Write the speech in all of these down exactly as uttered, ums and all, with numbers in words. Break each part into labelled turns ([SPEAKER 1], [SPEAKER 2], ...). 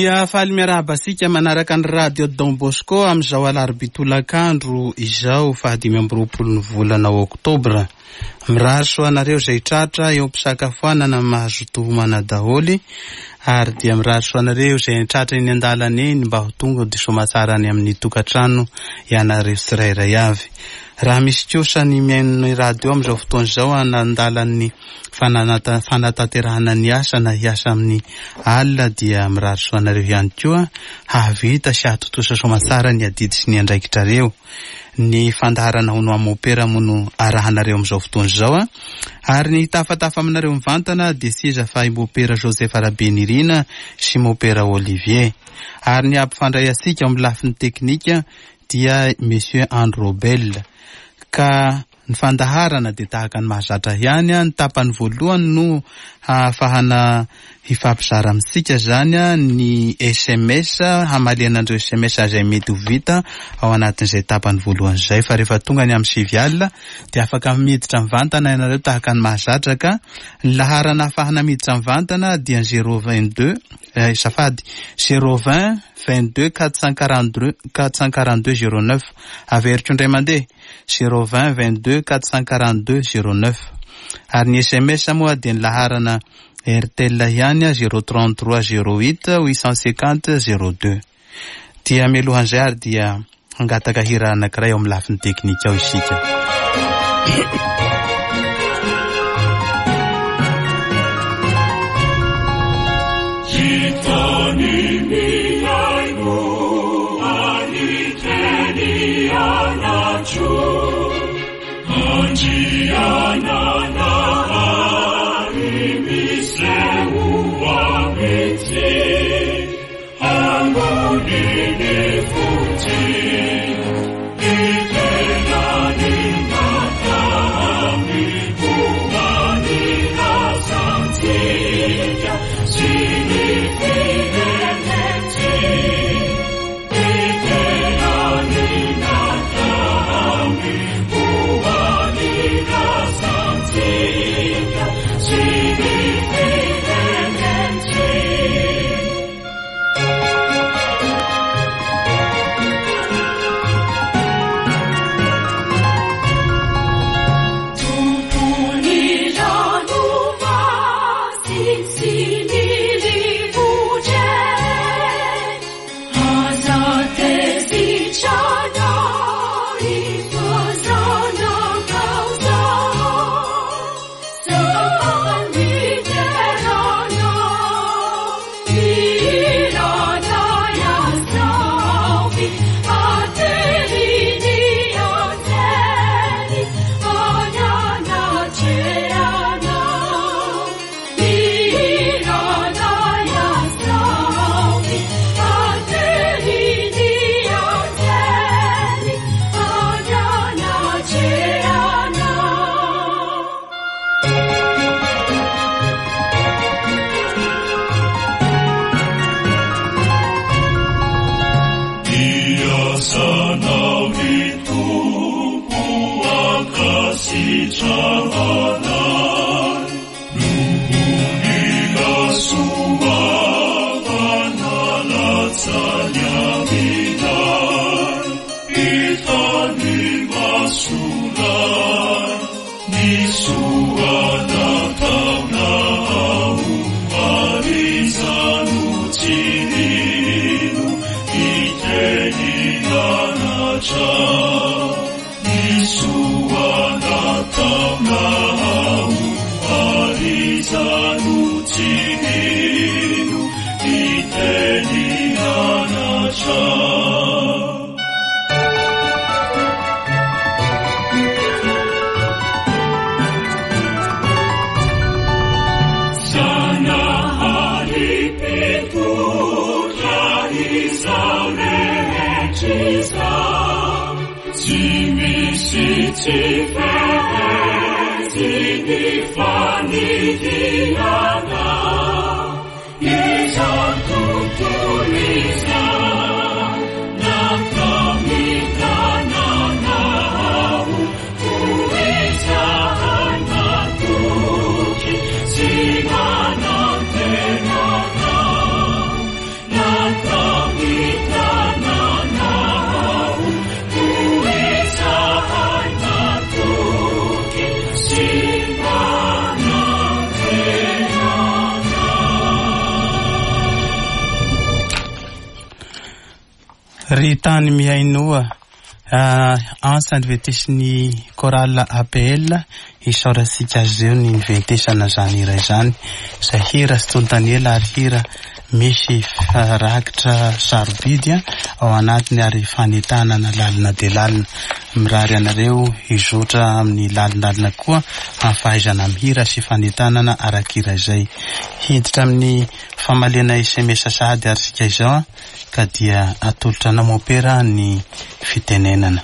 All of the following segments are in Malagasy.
[SPEAKER 1] Dia faly miarahaba antsika manaraka ny radio Don Bosco amin'izao alarobia tolakandro izao fahadimy amby roapolo ny volana oktobra. Mirary soa anareo izay tratra eo am-pisakafoanana mahazo tohomana daholo, ary dia mirary soa anareo izay tratra eny an-dalana eny mba ho tonga dia soamatsara any amin'ny tokantrano ianareo tsirairay avy. Raha misy kosa ny mihaino ny radio amin'izao fotoana izao an-dalan'ny fananata- fanatanterahana ny asa na hiasa amin'ny alina dia mirary soa anareo ihany koa hahavita sy hahatontosa soamatsara ny adidy sy ny andraikitrareo. Ny fandaharana hono amopera moa no arahanareo amin'izao fotoana izao a. Ary ny tafatafa aminareo mivantana dia seza fa i Mopera Joseph Rabenirina sy Mopera Olivier. Ary ny ampifandray antsika amin'ny lafiny teknika dia Monsieur Androbel. Ka ny fandaharana dia tahaka ny mahazatra ihany a, ny tapany voalohany no hahafahana hifampizara amintsika zany a, ny S M S, hamaliana an'ireo S M S izay mety ho vita ao anatin'izay tapany voalohany izay. Fa rehefa tonga ny amin'ny sivy alina dia afaka miditra mivantana ianareo tahaka ny mahazatra, ka ny laharana ahafahana miditra mivantana dia zéro vingt-deux, eh, safady, zéro vingt, vingt-deux, quatre cent quarante-deux, quatre cent quarante-deux, zéro neuf. Averiko indray mandeha, zéro vingt, vingt-deux, quatre cent quarante-deux, zéro neuf. Ary ny S M S moa dia ny laharana Airtel ihany, zéro trente-trois, zéro huit, huit cent cinquante, zéro deux. Dia mialohan'izay ary dia hangataka hira anankiray ao amin'ny lafiny teknika ao isika.
[SPEAKER 2] Thank you.
[SPEAKER 1] Ry tany mihainoa, antsa niventesin'ny chorale A P L. Isaorantsika azy ireo ny niventesana zany hira izany, izay hira sy tontaniela ary hira misy rakitra sarobidy ao anatiny ary fanentanana lalina de lalina. Mirary anareo hizotra amin'ny lalindalina koa amin'ny fahaizana mihira sy fanentanana arak'hira izay. Hiditra amin'ny famaliana S M S sahady ary sika izao a, ka dia atolotra anao, mopera, ny fitenenana.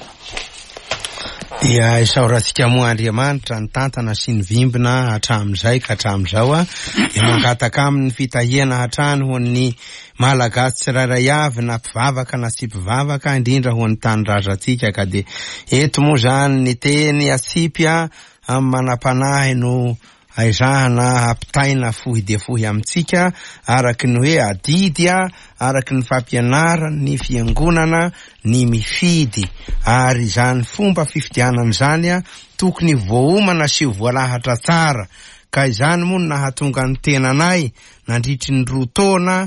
[SPEAKER 2] Dia isaorantsika moa Andriamanitra ny tantana sy ny vimbina hatramin'izay ka hatramin'izao a, dia mangataka amin'ny fitahiana hatrany ho an'ny Malagasy tsirairay avy, na mpivavaka na tsy mpivavaka, indrindra ho an'ny tanindrazantsika. Ka de eto moa zany ny teny atsipy a amin'ny manam-panahy no aizahana ampitaina fohy de fohy amintsika, araky ny hoe adidy a, araky ny fampianarany fiangonana ny mifidy. Ary zany fomba fifidianana zany a, tokony voaomana sy voalahatra tsara. Ka izany moa no nahatonga ny tenanay nandritry ny roa taona,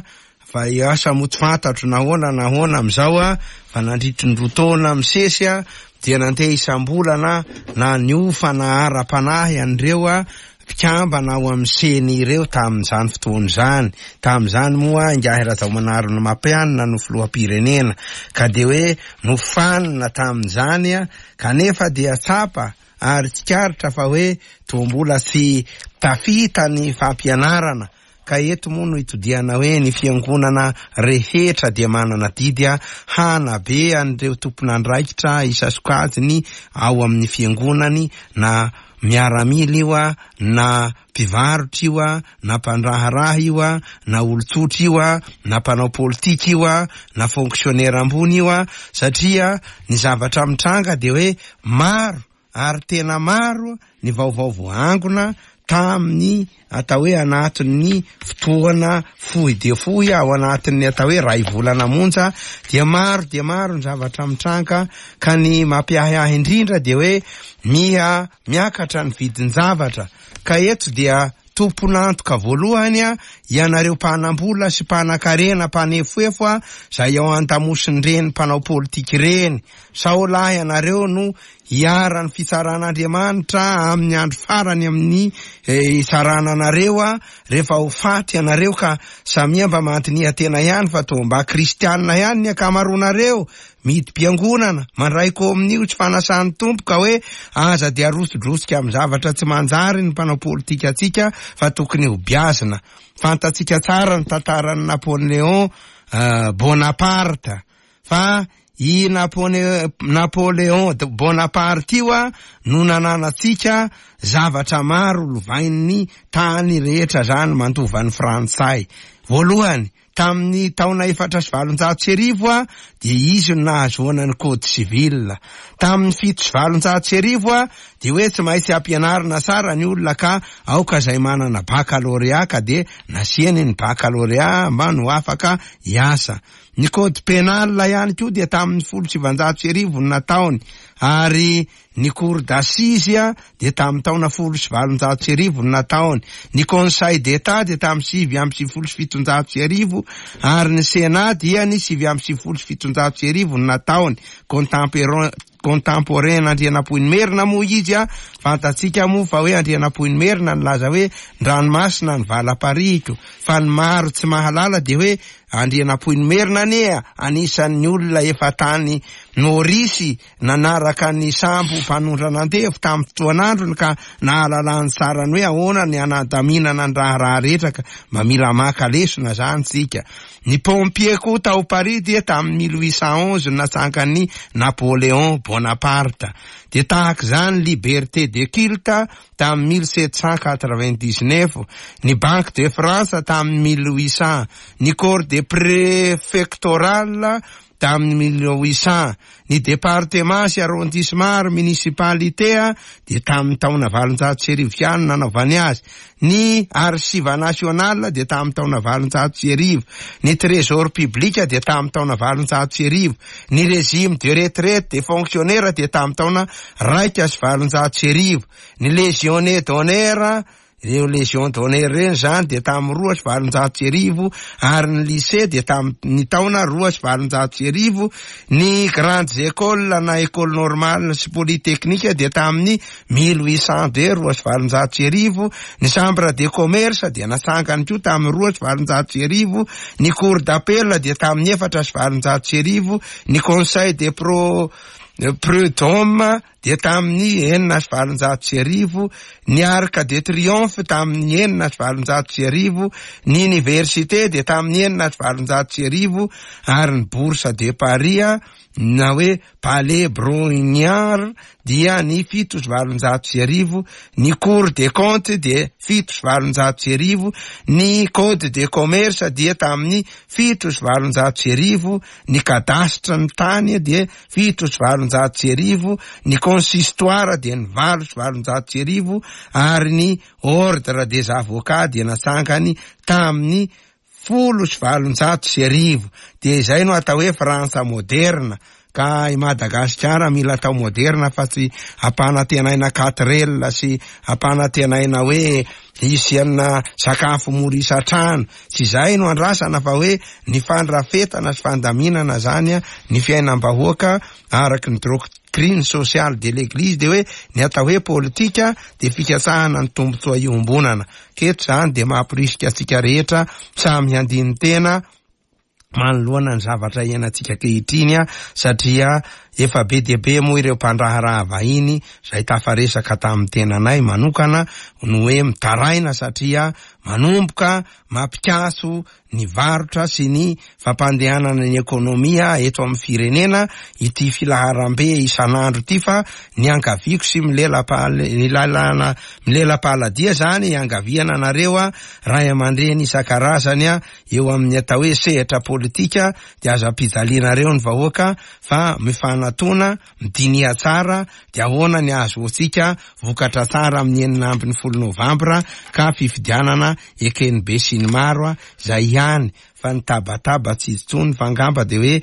[SPEAKER 2] fa asa moa tsy fantatro nahoana nahoana am'izao a, fa nandritry ny roa taona misesy a, dia nandeha isam-bolana na niofana ara-panahy an'ireo a mpikambana ao amin'ny C E N I ireo tamin'izany fotoana izany. Tamin'izany moa ingahy Rajaomanarina Mampianina no filoham-pirenena, ka de hoe nofanina tamin'izany a, kanefa dia tsapa ary tsikaritra fa hoe to mbola tsy tafita ny fampianarana. Ka eto moa no itodiana hoe ny fiangonana rehetra dia manana didy a hanabe an'ireo tompon'andraikitra isasokajiny ao amin'ny fiangonany, na miaramila io a, na mpivarotra io a, na mpandraharaha io a, na olon-tsotra io a, na mpanao politika io a, na fonctionnaire ambony io a, satria ny zavatra mitranga de hoe maro ary tena maro ny vaovao voaangona tamin'ny atao hoe anatin'ny fotoana fohy de fohy, ao anatin'ny atao hoe ray volana monja, dia maro dia maro ny zavatra mitranga. Ka ny mampiahiahy indrindra de hoe miha miakatra ny vidin-javatra. Ka eto dia tompon'antoka voalohany a ianareo mpanam-bola sy mpanan-karena, mpanefoefo a, zay ao an-damosin'ireny mpanao politika ireny, sao lahy ianareo no hiara ny fitsaran'Andriamanitra amin'ny andro farany, amin'ny hitsarana anareo a rehefa ho faty ianareo. Ka samia mba mandinika tena ihany, fa to mba kristianina ihany ny ankamaroanareo, midi-piangonana, mandray komonio tsy fanasan'ny Tompo, ka hoe aza de arosodrosika amin'ny zavatra tsy manjary ny mpanao politika atsika, fa tokony ho biazina. Fantatsika tsara ny tantaran'ny Napoléon Bonaparte, fa i Napone Napoléon Bonaparte io a no nananatsika zavatra maro lovain'ny tany rehetra zany mandovan'ny Frantsay. Voalohany, tamin'ny taona efatra sy valonjato sy arivo a, de izy no nahazoana ny code civil. Tamin'ny fito sy valonjato sy arivo a, de hoe tsy maintsy ampianarina tsara ny olona, ka aoka zay manana baccalauréat, ka de nasiany ny baccalauréat mba no afaka hiasa. Ny code pénal ihany koa dia tamin'ny folo sivanjato sy arivo no nataony, ary ny cour d'assises a de tamin'ny taona folo sy valonjato sy arivo no nataony, ny conseil d'état de tamin'ny sivy amby sivifolo sy fitonjato sy arivo, ary ny sénat dia ny sivy amby sivifolo sy fitonjato sy arivo no nataony. Contemporain contemporain Andrianampoinimerina moa izy a. Fantatsika moa fa hoe Andrianampoinimerina ny laza hoe ndranomasina ny valaparihiko, fa ny maro tsy mahalala de hoe Andrianampoinimerina ane anisan'ny olona efa tany Norisy nanaraka ny sambo mpanondrana andevo tamin'ny fotoan'androny, ka nahalalany tsarany hoe ahoana ny anadaminana ny raharaha rehetra. Ka mba mila maka lesona zany tsika. Ny pompier koa tao Paris dia tamin'ny mille huit cent onze natsangany Napoléon Bonaparte. De tahaka zany liberté de culte tamin'ny mille sept cent quatre-vingt-dix-neuf, ny Banque de France tamin'ny mille huit cent, ny corps de préfectoral tamin'ny mille huit cent, ny département sy arrondissement ary municipalité a de tamin'ny taona valonjato sy arivo ihany nanaovany azy, ny archive national de tamin'ny taona valonjato sy arivo, ny trésor public de tamin'ny taona valonjato sy arivo, ny régime de retraite des fonctionnaires de tamin'ny taona raika sy valonjato sy arivo, ny légionnaire d'honneur. Ireo Légion d'honneur ireny izany dia tamin'ny roa sy valonjato sy arivo, ary ny lycée dia tamin'ny taona roa sy valonjato sy arivo, ny grandes écoles na école normale sy polytechnique dia tamin'ny mille huit cent deux roa sy valonjato sy arivo, ny chambre de commerce dia natsangany koa tamin'ny roa sy valonjato sy arivo, ny cour d'appel dia tamin'ny efatra sy valonjato sy arivo, ny conseil des pro prud'homme dia tamin'ny enina sy valonjato sy arivo, ny arc de triomphe tamin'ny enina sy valonjato sy arivo, ny université dia tamin'ny enina sy valonjato sy arivo, ary ny bourse de Paris na hoe palais Brongniart dia ny fito sy valonjato sy arivo, ny cour des comptes dia fito sy valonjato sy arivo, ny code de commerce dia tamin'ny fito sy valonjato sy arivo, ny cadastre ny tany dia fito sy valonjato sy arivo, ny consistoire dia ny valo sy valonjato sy arivo, ary ny ordre des avocats dia natsangany tamin'ny folo sy valonjato sy arivo. Dia izay no atao hoe Frantsa moderna. Ka i Madagasikara mila atao moderna fa tsy ampanantenaina quatre sy ampanantenaina hoe hisy anina sakafo mora isan-trano. Tsy izay no andrasana fa hoe ny fandrafetana sy fandaminana zany ny fiainam-bahoaka araky ny doctrine sociale de l'église, dia hoe ny atao hoe politika dia fikatsahana ny tombontsoa iombonana. Keto zany dia mampirisika antsika rehetra samy handiny tena manoloana ny zavatra iainantsika ankehitriny, satria efa be dia be moa ireo mpandraharaha vahiny izay tafaresaka tamin'ny tenanay manokana no hoe mitaraina satria manomboka mampikaso ny varotra sy ny fampandehanana ny ekonomia eto amin'ny firenena ity filaharambe isan'andro ity. Fa ny ankaviako sy milela-pahalalana milela-pahaladia zany ankaviana anareo a ray aman-dreny isan-karazany a eo amin'ny atao hoe sehatra politika, dia aza ampijalianareo ny vahoaka fa mifanatona midinia tsara dia ahoana ny ahazoantsika vokatra tsara amin'ny enina ambin'ny folo novambra ka fifidianana ekeny be sy ny maro a zay ihany. Fa ny tabataba tsy izy tsony fa angamba de hoe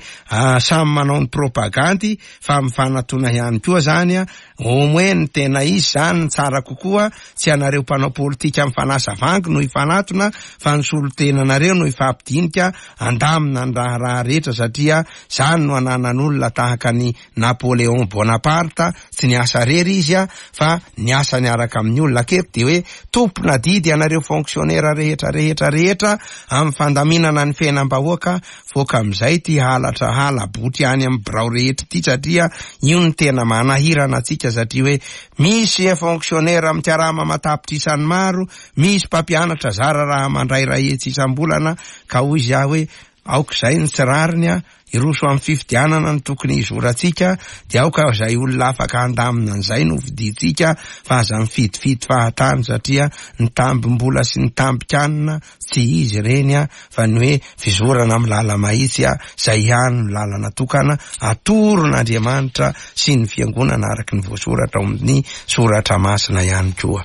[SPEAKER 2] samy manao ny propagandy fa mifanatona ihany koa zany a au moins ny tena izy zany ny tsara kokoa, tsy anareo mpanao politika mifanasa vangy no hifanatona fa ny solotenanareo no hifampidinika andamina ny raharaha rehetra, satria zany no ananan'olona tahaka ny Napoléon Bonaparte, tsy niasa rery izy a fa niasa niaraka amin'ny olona. Aketo de hoe tompona didy anareo fonctionnaire rehetra rehetra rehetra amin'ny fandaminana ny fiainam-bahoaka, voaka amin'izay ty halatra hala-botry any amin'ny birao rehetra ty, satria io no tena manahirana antsika, satria hoe misy fonctionnaire mikarama matapitrisany maro, misy mpampianatra zara raha mandray ray hetsy isam-bolana, ka hoy izy aho hoe aoka izay ny tsy rariny a iroso amin'ny fifidianana ny tokony hizorantsika, dia aoka izay olona afaka handamina an'izay no fidintsika fa aza mifidifidy fahatany, satria ny tambim-bola sy ny tambin-kanina tsy izy ireny a fa ny hoe fizorana amin'ny lala-mahitsy a zay ihany no lalana tokana atoron'Andriamanitra sy ny fiangonana araky ny voasoratra ao amin'ny soratra masina ihany koa.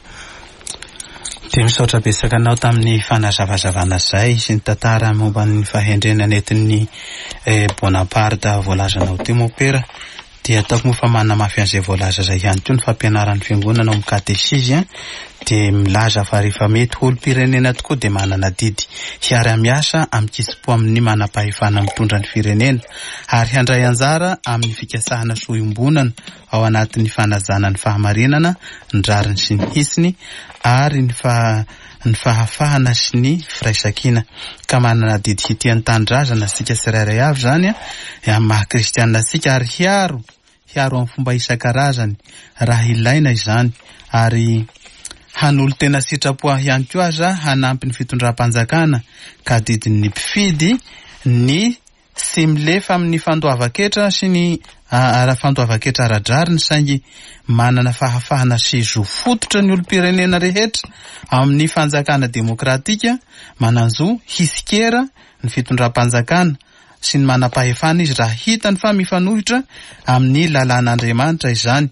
[SPEAKER 1] Dia misaotra betsaka anao tamin'ny fanazavazavana izay sy ny tantara momba ny fahendrena nentin'ny Bonaparte voalazanao teo mopera. Dia ataoko moa fa manamafy an'izay voalaza izay ihany koa ny fampianaran'ny fiangonana ao amin'ny katesizy a dia milaza fa rehefa mety ho olom-pirenena tokoa dia manana didy hiara-miasa amin-kitsim-po amin'ny manam-pahefana mitondra ny firenena ary handray anjara amin'ny fikasahana soa iombonana ao anatin'ny fanajana ny fahamarinana, ny rariny sy ny hitsiny ary ny fa ny fahafahana sy ny firaisankina. Ka manana didy hitia ny tanindrazana antsika tsirairay avy zany a amin'ny maha kristianina antsika ary hiaro hiaro amin'ny fomba isan-karazany raha ilaina izany, ary hanolo tena sitrapo ihany koa aza hanampy ny fitondram-panjakana, ka didin'ny mpifidy ny tsy milefa amin'ny fandoavan-ketra sy ny ara fandoavan-ketra ara-drariny, saingy manana fahafahana sy zo fototra ny olom-pirenena rehetra amin'ny fanjakana demokratika, manan-jo hisikera ny fitondram-panjakana sy ny manam-pahefana izy raha hitany fa mifanohitra amin'ny lalàn'Andriamanitra izany.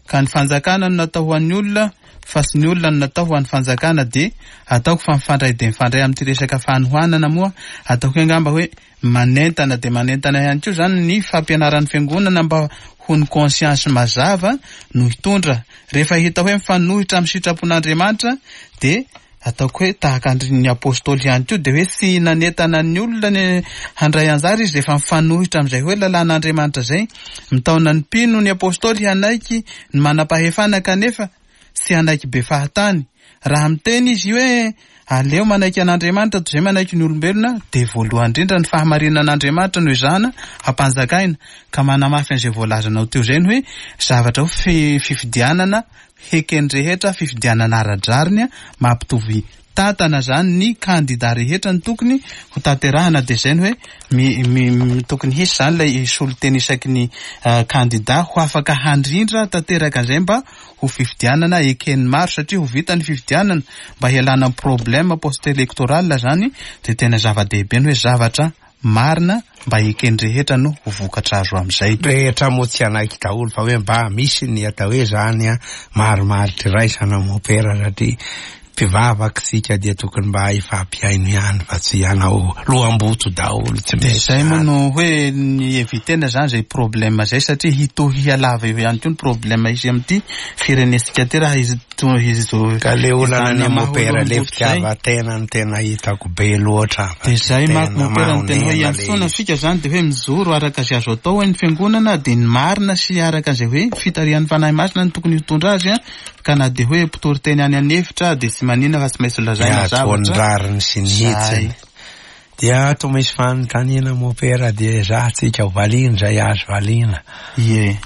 [SPEAKER 1] Ka ny fanjakana no natao ho an'ny olona fa tsy ny olona no natao ho an'ny fanjakana. Dia ataoko fa mifandray dia mifandray amin'ity resaka fanohanana moa, ataoko hoe angamba hoe manentana dia manentana ihany koa zany ny fampianaran'ny fiangonana mba ho ny conscience mazava no hitondra. Rehefa hita hoe mifanohitra amin'ny sitrapon'Andriamanitra dia ataoko hoe tahaka ny apôstôly ihany koa, dia hoe tsy nanentana ny olona ny handray anjara izy rehefa mifanohitra amin'izay hoe lalàn'Andriamanitra zay. Mitaona ny mpino ny apôstôly hanaiky ny manam-pahefana kanefa tsy hanaiky be fahatany. Raha miteny izy hoe aleo manaiky an'Andriamanitra toy izay manaiky ny olombelona, dia voalohany indrindra ny fahamarinan'Andriamanitra no ezahana hampanjakaina. Ka manamafy an'izay voalazanao teo izay ny hoe zavatra ho fifidianana heken'ny rehetra, fifidianana ara-drariny mampitovy tantana zany ny kandida rehetra ny tokony ho tanterahana. Dia izay ny hoe mi, mi, tokony hisy zany ilay solonteny isaky ny uh, kandida ho afaka handrindra tanteraka an'izay mba ho fifidianana eken'ny maro, satria ho vita ny fifidianana mba hialana amin'ny problème post-électoral zany. Dia tena zava-dehibe ny hoe zavatra marina mba eken'ny rehetra no ho vokatra azo amin'izay.
[SPEAKER 2] Rehetra moa tsy hanaiky daholo fa hoe mba misy ny atao hoe zany a marimaritra iraisana mopera, satria mpivavaka isika dia tokony mba hifampihaino ihany fa tsy hanao loham-boto daholo. Tsy
[SPEAKER 1] dia izay moa no hoe ny evitena zany zay problème zay, satria hitohy hialava eo ihany koa ny problème izy amin'ity firenentsika ty raha izy izy
[SPEAKER 2] ka le olana ny mopera le fitiavan-tena no tena hitako be loatra.
[SPEAKER 1] Dia zay manko mopera no tena hoe iantsoana fika zany, dia hoe mijoro araka izay azo atao ny fiangonana, dia ny marina sy araka izay hoe fitarihan'ny Fanahy Masina no tokony hitondra azy a, ka na dia hoe mpitory teny any an'efitra dia tsy manina fa tsy maintsy lazaina zavatra
[SPEAKER 2] rariny sy ny hitsiny. Dia ato misy fanontaniana mopera, dia ezahantsika ho valiana izay azo valiana.
[SPEAKER 1] Ie.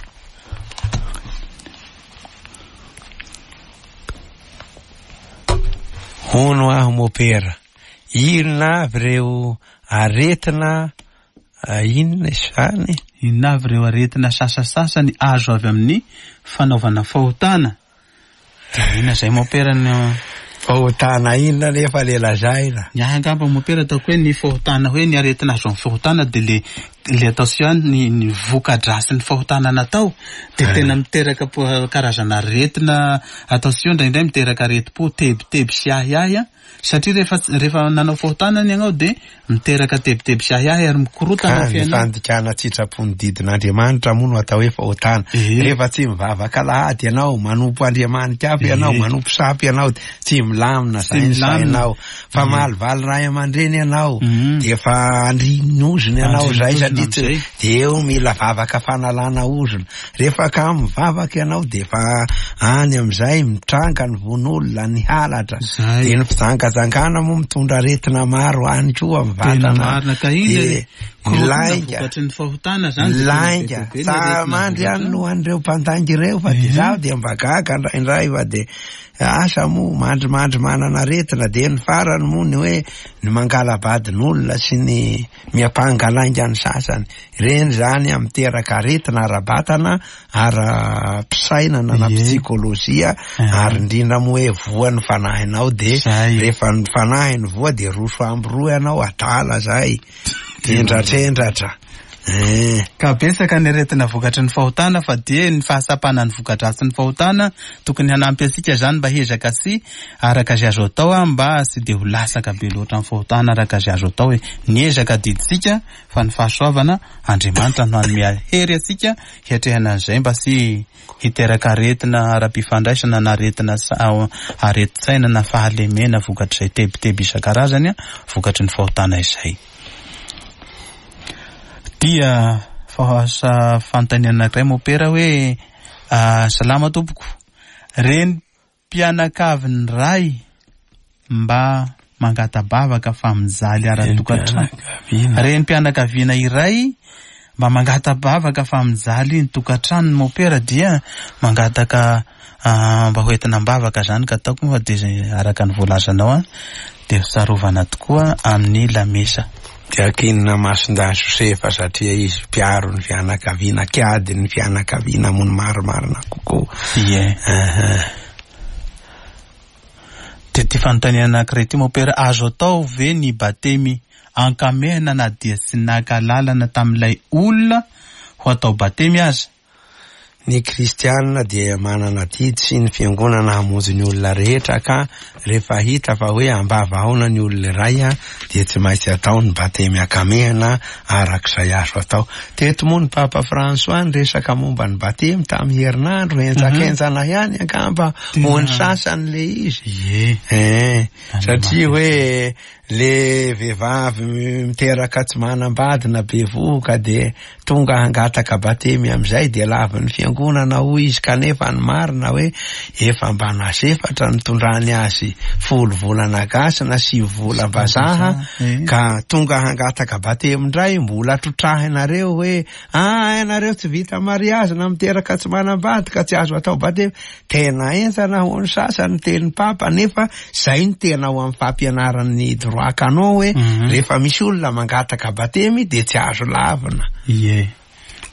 [SPEAKER 2] Hono aho mopera, inona avy ireo aretina inona izany?
[SPEAKER 1] Inona avy ireo aretina sasasasany azo avy amin'ny fanaovana fahotana? Dia inona izay mopera ny
[SPEAKER 2] fahotana inona nefa le lazaina?
[SPEAKER 1] Ny ahy angamba mopera ataoko hoe ny fahotana, hoe ny aretina azo amin'ny fahotana dia le le atao sy ihany ny ny voka-drasin'ny fahotana natao dia tena miteraka karazana aretina atao sy io, indraindray miteraka aretim-po, tebiteby sy ahiahy, satria rehefa rehefa nanao fahotana ny ianao dia miteraka tebiteby sy ahiahy ary mikorotana
[SPEAKER 2] ny fiainana. Fandikana tsitrapo ny didin'Andriamanitra moa no atao hoe fahotana. Rehefa tsy mivavaka alahady ianao, manompo Andriamanitra hafa ianao, manompo sampy ianao, tsy milamina zay ny sainao. Fa malivaly ray aman-dreny ianao, dia efa andrin'ny ozona ianao zay, satria tsy dia eo mila vavaka fanalana ozona. Rehefa ka mivavaka ianao dia efa any amin'izay mitranga ny vono'olona, ny halatra, dia ny fijangajangana moa mitondra aretina maro any koa amin'ny vatana.
[SPEAKER 1] Dia
[SPEAKER 2] lainga, lainga, tsa mandry any no an'ireo mpandainga ireo, fa dia zaho dia mba gaga indraindray fa dia asa moa mandrimandry manana aretina. Dia ny farany moa ny hoe ny mangalabadin'olona sy ny miampanga lainga ny sasany, ireny zany miteraka aretina ara-batana, ara-pisainana na psikolojia, ary indrindra moa hoe voa ny fanahinao, dia rehefa ny fanahiny voa dia roso ambiroa ianao, adala zay, endratr'endratra.
[SPEAKER 1] Ka betsaka ny aretina vokatry ny fahotana, fa dia ny fahatsapana ny voka-dratsin'ny fahotana tokony hanampy antsika zany mba hezaka sy araka izay azo atao, mba tsy dia ho lasaka be loatra amin'ny fahotana araka izay azo atao. Hoe ny ezaka adidintsika fa ny fahasoavana Andriamanitra no hanome hery antsika hiatrehana an'izay mba tsy hiteraka aretina ara-pifandraisana na aretina aretin-tsaina na fahalemena vokatr'izay tebiteby isan-karazany vokatry ny fahotana izay. Dia fahasa fanontaniana anankiray mopera hoe salama tompoko, reny mpianakavin'ny ray mba mangata-bavaka fa mijaly ara-tokantrano. Reny mpianakaviana iray mba mangata-bavaka fa mijaly ny tokantranony mopera, dia mangataka mba ho entina am-bavaka zany, ka ataoko moa dia araka ny voalazanao a dia tsarovana tokoa amin'ny lamesa.
[SPEAKER 2] Dia akinina Masindahy Josefa satria izy mpiaro ny fianakaviana, kiady ny fianakaviana moa ny marimarina kokoa.
[SPEAKER 1] Ie. Dia ty fanontaniana anankiray ty mopera, azo atao ve ny batemy ankamehana na dia tsy naka lalana tamin'ilay olona ho atao batemy aza?
[SPEAKER 2] Ny kristianina dia manana adidy sy ny fiangonana hamonjy ny olona rehetra, ka rehefa hita fa hoe ambavahaona ny olona iray a, dia tsy maintsy atao ny batemy akamehana arak'izay azo atao. Teto moa ny Papa François niresaka momba ny batemy tamin'ny herinandro, henjakenjana ihany angamba ho ny sasany le izy.
[SPEAKER 1] Ie.
[SPEAKER 2] Eh, satria hoe le vehivavy miteraka tsy manambady na bevohoka de tonga hangataka batemy amizay de lavin'ny fiangonana hoy izy, kanefa ny marina hoe efa mba nasefatra nitondrany azy folo volana gasy na sivy volam-bazaha,
[SPEAKER 1] Eh.
[SPEAKER 2] ka tonga hangataka batemy indray mbola trotrahinareo hoe ah, ianareo tsy vita mariazy na miteraka tsy manambady ka tsy azo atao batemy. Tena enjana ho ny sasany teny papa, nefa zay ny tena ao amin'ny fampianaran'ny droit canon hoe
[SPEAKER 1] Mhm.
[SPEAKER 2] rehefa misy olona mangataka batemy de tsy azo lavina.
[SPEAKER 1] Ie.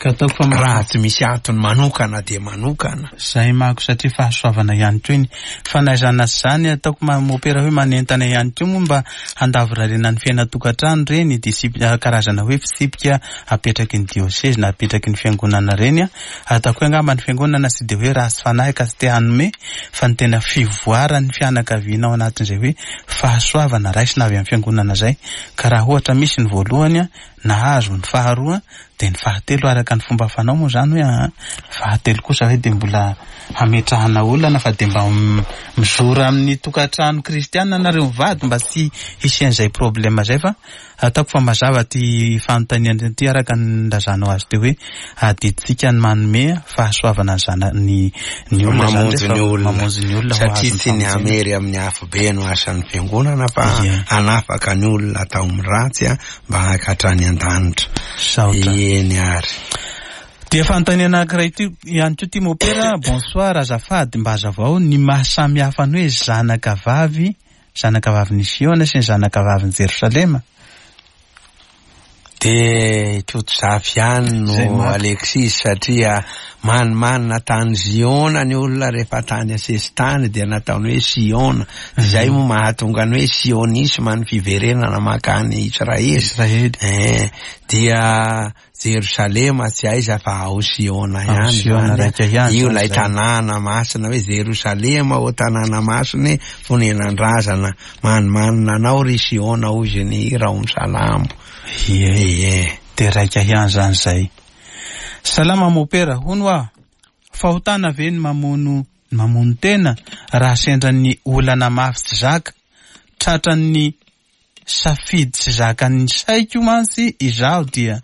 [SPEAKER 1] Ka ataoko fa
[SPEAKER 2] Raha tsy misy antony manokana de manokana.
[SPEAKER 1] Zay manko, satria fahasoavana ihany koa iny fanaizana sy zany. Ataoko ma- mopera hoe manentana ihany koa moa mba handavorarena ny fiainan-tokantrano reny disip- karazana hoe fitsipika apetraky ny diocèse na apetraky ny fiangonana reny a. Ataoko hoe angamba ny fiangonana tsy de hoe ratsy fanahy ka tsy te hanome, fa ny tena fivoaran'ny fianakaviana ao anatin'izay hoe fahasoavana raisina avy amin'ny fiangonana zay. Ka raha ohatra misy ny voalohany a, nahazo ny faharoa, de ny fahatelo araka ny fomba fanao moa zany hoe ah, fahatelo kosa hoe de mbola hametrahana olana, fa de mba m- mizora amin'ny tokantrano kristiana nareo mivady mba tsy hisy an'izay problème zay. Fa ataoko fa mazava ty fanontaniana ty araka ny lazanao azy teo hoe adidintsika ny manome fahasoavana ny zana ny ny olona zany
[SPEAKER 2] Mamonjy
[SPEAKER 1] rehefa
[SPEAKER 2] ny olona.
[SPEAKER 1] Mamonjy ny olona ho
[SPEAKER 2] Satria
[SPEAKER 1] azon'ny
[SPEAKER 2] tsy ny
[SPEAKER 1] famonjena.
[SPEAKER 2] hamery amin'ny afobe no asan'ny fiangonana, fa
[SPEAKER 1] Ie.
[SPEAKER 2] hanafaka ny olona atao amin'ny ratsy a, mba hakatrany an-danitra.
[SPEAKER 1] Saotra.
[SPEAKER 2] Eny ary.
[SPEAKER 1] Dia fanontaniana anankiray ty ihany koa ty mopera. Bonsoir, azafady, mba hazavao ny mahasamihafa ny hoe zanaka vavy, zanaka vavin'i Siona sy ny zanaka vavin'i Jerosalema.
[SPEAKER 2] De Kotozafy ihany
[SPEAKER 1] Zay
[SPEAKER 2] no
[SPEAKER 1] maka.
[SPEAKER 2] Alexis, satria manimanina tany Ziona ny olona rehefa tany asesitany de nataony hoe Siona. Zay moa mahatonga ny hoe sionisme, ny fiverenana mankany Israely.
[SPEAKER 1] Israely.
[SPEAKER 2] Eh, dia Jerosalema tsy aiza fa ao Siona
[SPEAKER 1] Ao
[SPEAKER 2] ihany
[SPEAKER 1] Siona
[SPEAKER 2] zany.
[SPEAKER 1] raika ihany
[SPEAKER 2] Io
[SPEAKER 1] zany
[SPEAKER 2] ilay
[SPEAKER 1] zay.
[SPEAKER 2] tanàna masina hoe Jerosalema o tanàna masina fonenan-drazana, manimanina anao ry Siona hoy izy ny hira ao amin'ny Salamo.
[SPEAKER 1] Ie.
[SPEAKER 2] Ie.
[SPEAKER 1] De raika ihany zany zay. Salama mopera, hono aho. Fahotana ve ny mamono mamono tena raha sendra ny olana mafy tsy zaka? Tratran'ny safidy tsy zakan'ny saiko mantsy izaho dia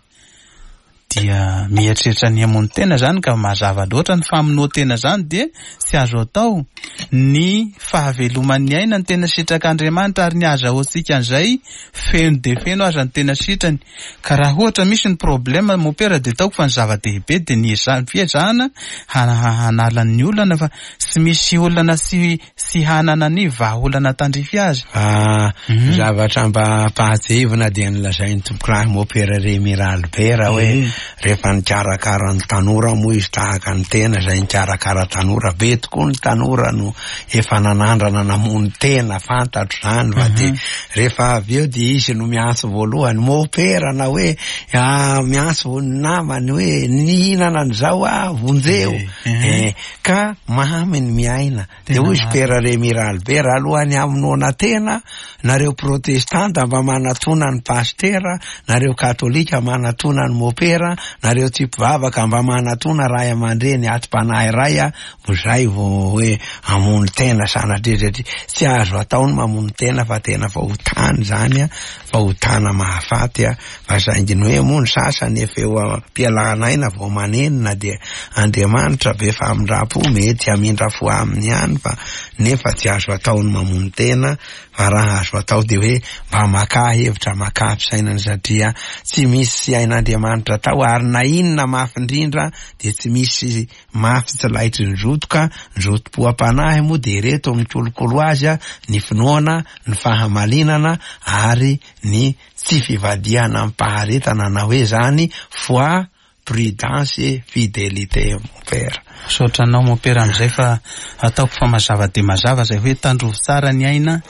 [SPEAKER 1] dia mieritreritra ny hamono tena zany, ka mazava loatra ny famonoan-tena zany dia tsy azo atao. Ny fahaveloman'ny aina ny tena sitrak'Andriamanitra, ary ny azahoantsika an'izay feno de feno aza ny tena sitrany. Ka raha ohatra misy ny problème mopera, de ataoko fa ny zava-dehibe de ny eza- fiezahana hana- hanala ny olana, fa tsy misy olana tsy tsy hanana ny vahaolana tandrify azy.
[SPEAKER 2] Ah,
[SPEAKER 1] Mhm.
[SPEAKER 2] zavatra mba ampahatsiahivina dia nilazain'ny tompokolahy mopera Remy Ralibera hoe
[SPEAKER 1] Eh.
[SPEAKER 2] rehefa nikarakara ny tanora moa izy, tahaka ny tena izay nikarakara tanora be tokoa, ny tanora no efa nanandrana namono tena, fantatro zany, fa de rehefa avy eo de izy no miantso voalohany mopera, na hoe ah, miantso ny namany hoe nihinana an'izao ah, vonjeo.
[SPEAKER 1] Eh,
[SPEAKER 2] Eh, ka mamy ny miaina. De
[SPEAKER 1] Tena
[SPEAKER 2] hoy izy
[SPEAKER 1] marina.
[SPEAKER 2] Pera Remy Ralibera, alohan'ny hamonoana tena, nareo protestanta mba manatona ny pastera, nareo katolika manatona ny mopera, nareo tsy mpivavaka mba manatona ray aman-dreny atim-panahy ray a, ho zay vao hoe hamono tena sanatria, satria tsy azo atao ny mamono tena fa tena fahotany zany a, fahotana mahafaty a. Fa saingy ny hoe moa ny sasany efa eo am-pialana aina vao manenina, dia Andriamanitra be famindram-po mety hamindra fo aminy ihany, fa nefa tsy azo atao ny mamono tena. Fa raha azo atao de hoe mba maka hevitra, maka fisainana, satria tsy misy hain'Andriamanitra atao, ary na inona mafy indrindra de tsy misy mafy tsy laitry ny zotoka ny zotom-po am-panahy moa de reto mikolokolo azy a, ny finoana, ny fahamalinana ary ny tsy fivadihana amim-paharetana, na hoe zany foi, prudence et fidélité, mon père.
[SPEAKER 1] Misaotra anao mopera amin'izay, fa ataoko fa mazava de mazava zay hoe tandrovy tsara ny aina,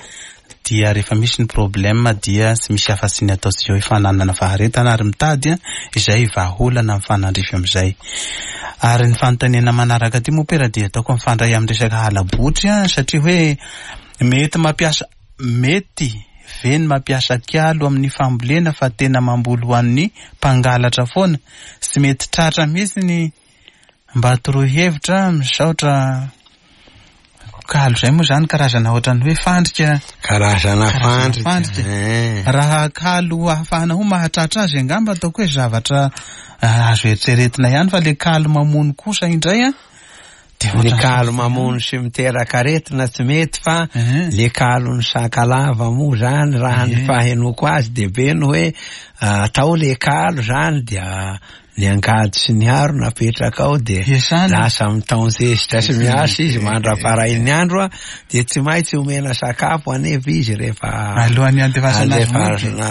[SPEAKER 1] dia rehefa misy ny problème dia tsy misy afa-tsy ny ataontsika hoe fananana faharetana ary mitady a izay vahaolana mifanandrify amin'izay. Ary ny fanontaniana manaraka ty mopera dia ataoko mifandray amin'ny resaka halabotry a, satria hoe mety mampiasa mety ve ny mampiasa kialo amin'ny fambolena fa tena mamboly ho an'ny mpangalatra foana, tsy mety tratra mihitsy ny mba toroy hevitra. Misaotra. Kalo zay moa zany karazana ohatran'ny hoe fandrika,
[SPEAKER 2] karazana fandrika.
[SPEAKER 1] Raha kalo ahafahana ho mahatratra azy angamba ataoko hoe zavatra azo eritreretina ihany, fa le kalo mamono kosa indray a,
[SPEAKER 2] ny kalo mamono sy miteraka aretina tsy mety, fa le kalo ny sakalava moa zany raha ny fahenoko azy de be no hoe atao le kalo zany dia ny angady sy ny haro napetraka ao de lasa mitaonzesitra sy miasa izy mandra-parain'ny andro a, de tsy maintsy omena sakafo anefa izy rehefa
[SPEAKER 1] alohan'ny andefasana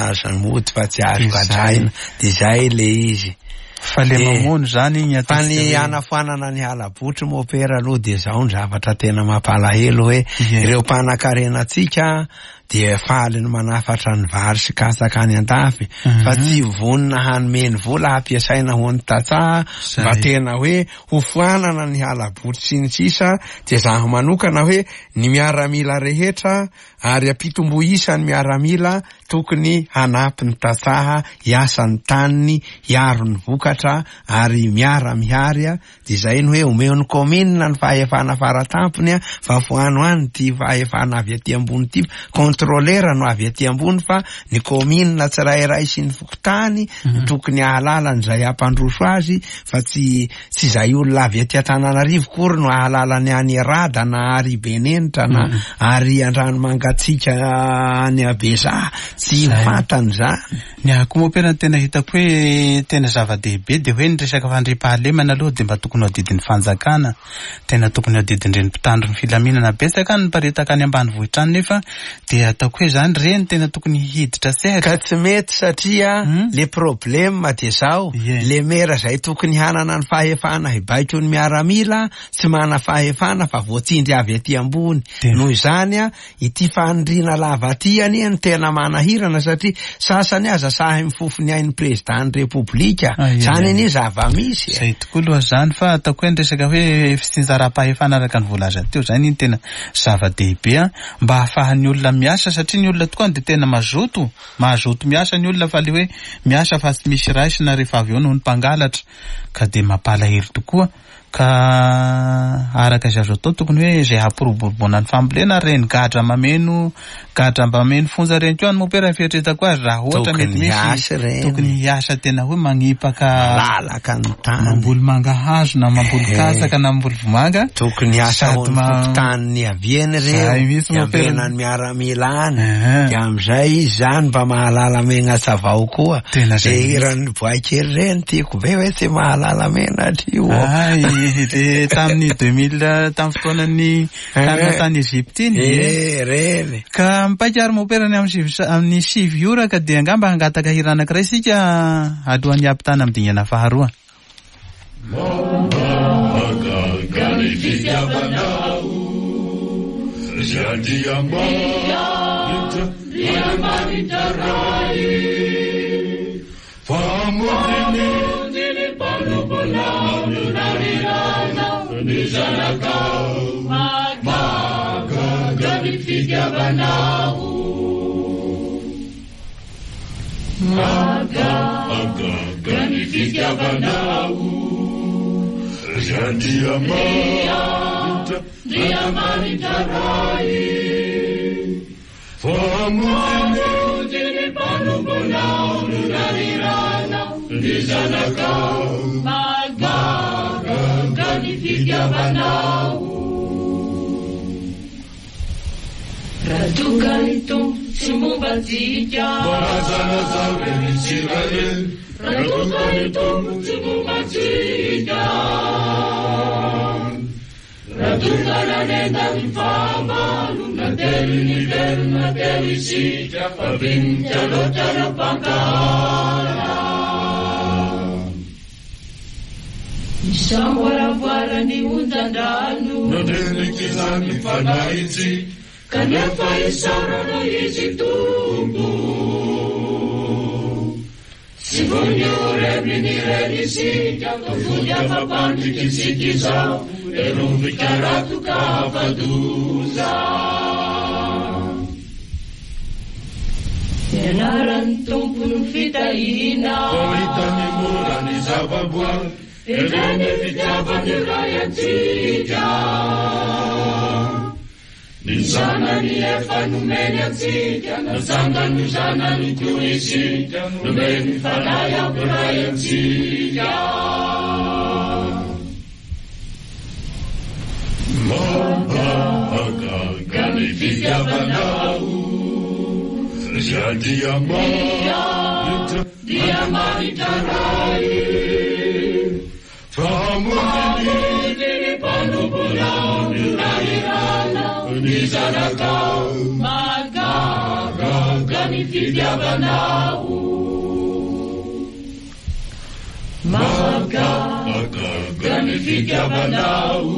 [SPEAKER 2] azy mody fa tsy azo kadraina, de zay le izy.
[SPEAKER 1] Fa le mamono zany igny
[SPEAKER 2] fa ny anafoanana ny halabotry mopera aloha de zao ny zavatra tena mampalahelo hoe ireo mpanakarena-tsika dia faly ny manafatra ny vary sy katsaka any an-dafy fa tsy vonona hanome ny vola hampiasaina ho an'ny tantsaha mba tena hoe ho foanana ny halabotry sy ny sisa. Dia zaho manokana hoe ny miaramila rehetra ary ampitombo isa ny miaramila tokony hanampy ny tantsaha hiasa ny taniny, hiaro ny vokatra ary miara-mihary a. Dia zay ny hoe omeo ny commune ny fahefana faratampony a, fa foano any ty fahefana avy aty ambony ty, contrôleur no avy aty ambony, fa ny commune tsirairay sy ny fokontany no tokony ahalala an'izay hampandroso azy, fa tsy tsy zay olona avy aty Antananarivo kory no ahalala ny any Rada na ary Benenitra na ary Andranomangatsika any Abezaha, tsy fantany zany.
[SPEAKER 1] Ny ahy mopera ny tena hitako hoe tena zava-dehibe dia hoe ny resaka fandriampahalemana aloha dia mba tokony ho adidin'ny fanjakana, tena tokony ho adidin'ireny mpitandro ny filaminana. Betsaka ny miparitaka any ambanivohitra any nefa dia ataoko hoe zany reny tena tokony hiditra sehatra.
[SPEAKER 2] Ka tsy mety satria le problème dia zao, le mera zay tokony hanana ny fahefana hibaiko ny miaramila tsy mana fahefana fa voatsindry avy aty ambony. Noho izany a, ity fanindriana lava aty anie ny tena manahirana satria sasany aza sahy mifofo ny ain'ny président ny Repoblika. Zany anie zava-misy.
[SPEAKER 1] Zay tokoa aloha zany, fa ataoko hoe ny resaka hoe fitsinjaram-pahefana araka ny voalaza teo zany iny tena zava-dehibe a, mba ahafahan'ny olona miasa, satria ny olona tokoa dia tena mazoto, mazoto miasa ny olona, fa le hoe miasa fa tsy misy raisina rehefa avy eo noho ny mpangalatra, ka dia mampalahelo tokoa. Ka araka izay azo atao tokony hoe izay hampiroboroboana ny fambolena, reny gadra mameno gadra mba mameno fonja reny koa ny mopera fieritreretako azy, raha ohatra mety misy tokony hiasa tena hoe magnipaka
[SPEAKER 2] lalaka ny tany,
[SPEAKER 1] mamboly mangahazo na mamboly katsaka na mamboly vomanga,
[SPEAKER 2] tokony hiasa ho ny fokontany niaviany reo, hiambena ny miaramila any, dia amizay izy zany mba mahalala menatra avao koa. De hiran'ny boay kely reny tiako be hoe tsy mahalala menatra io.
[SPEAKER 1] Le tamin'ny deux mille tamin'ny fotoanan'ny tany tany Egypte iny.
[SPEAKER 2] Eh, reny.
[SPEAKER 1] Ka mipaika ary mopera ny amin'ny sivy amin'ny sivy ora, ka dia angamba hangataka hira anankiray isika alohan'ny hampitana amin'ny dingana faharoa.
[SPEAKER 3] Kanefa isaorana izy Tompo. Tsy Anaran'ny Tompo no fitahiana,
[SPEAKER 4] Fahitany mora ny zava-boary,
[SPEAKER 3] ireny fitiavan'ny Ray antsika. Ny zanany efa nomeny antsika, natsangany ho zanany koa isika, nomeny Fanahy hampiray antsika.
[SPEAKER 4] Mahagaga ny fitiavanao, Andriamanitra,
[SPEAKER 3] Andriamanitra Ray.
[SPEAKER 4] Fa hamonjy
[SPEAKER 3] ny mpanomponao nirahirana ny zanakao, mahagaga ny fitiavanao. Mahagaga ny fitiavanao,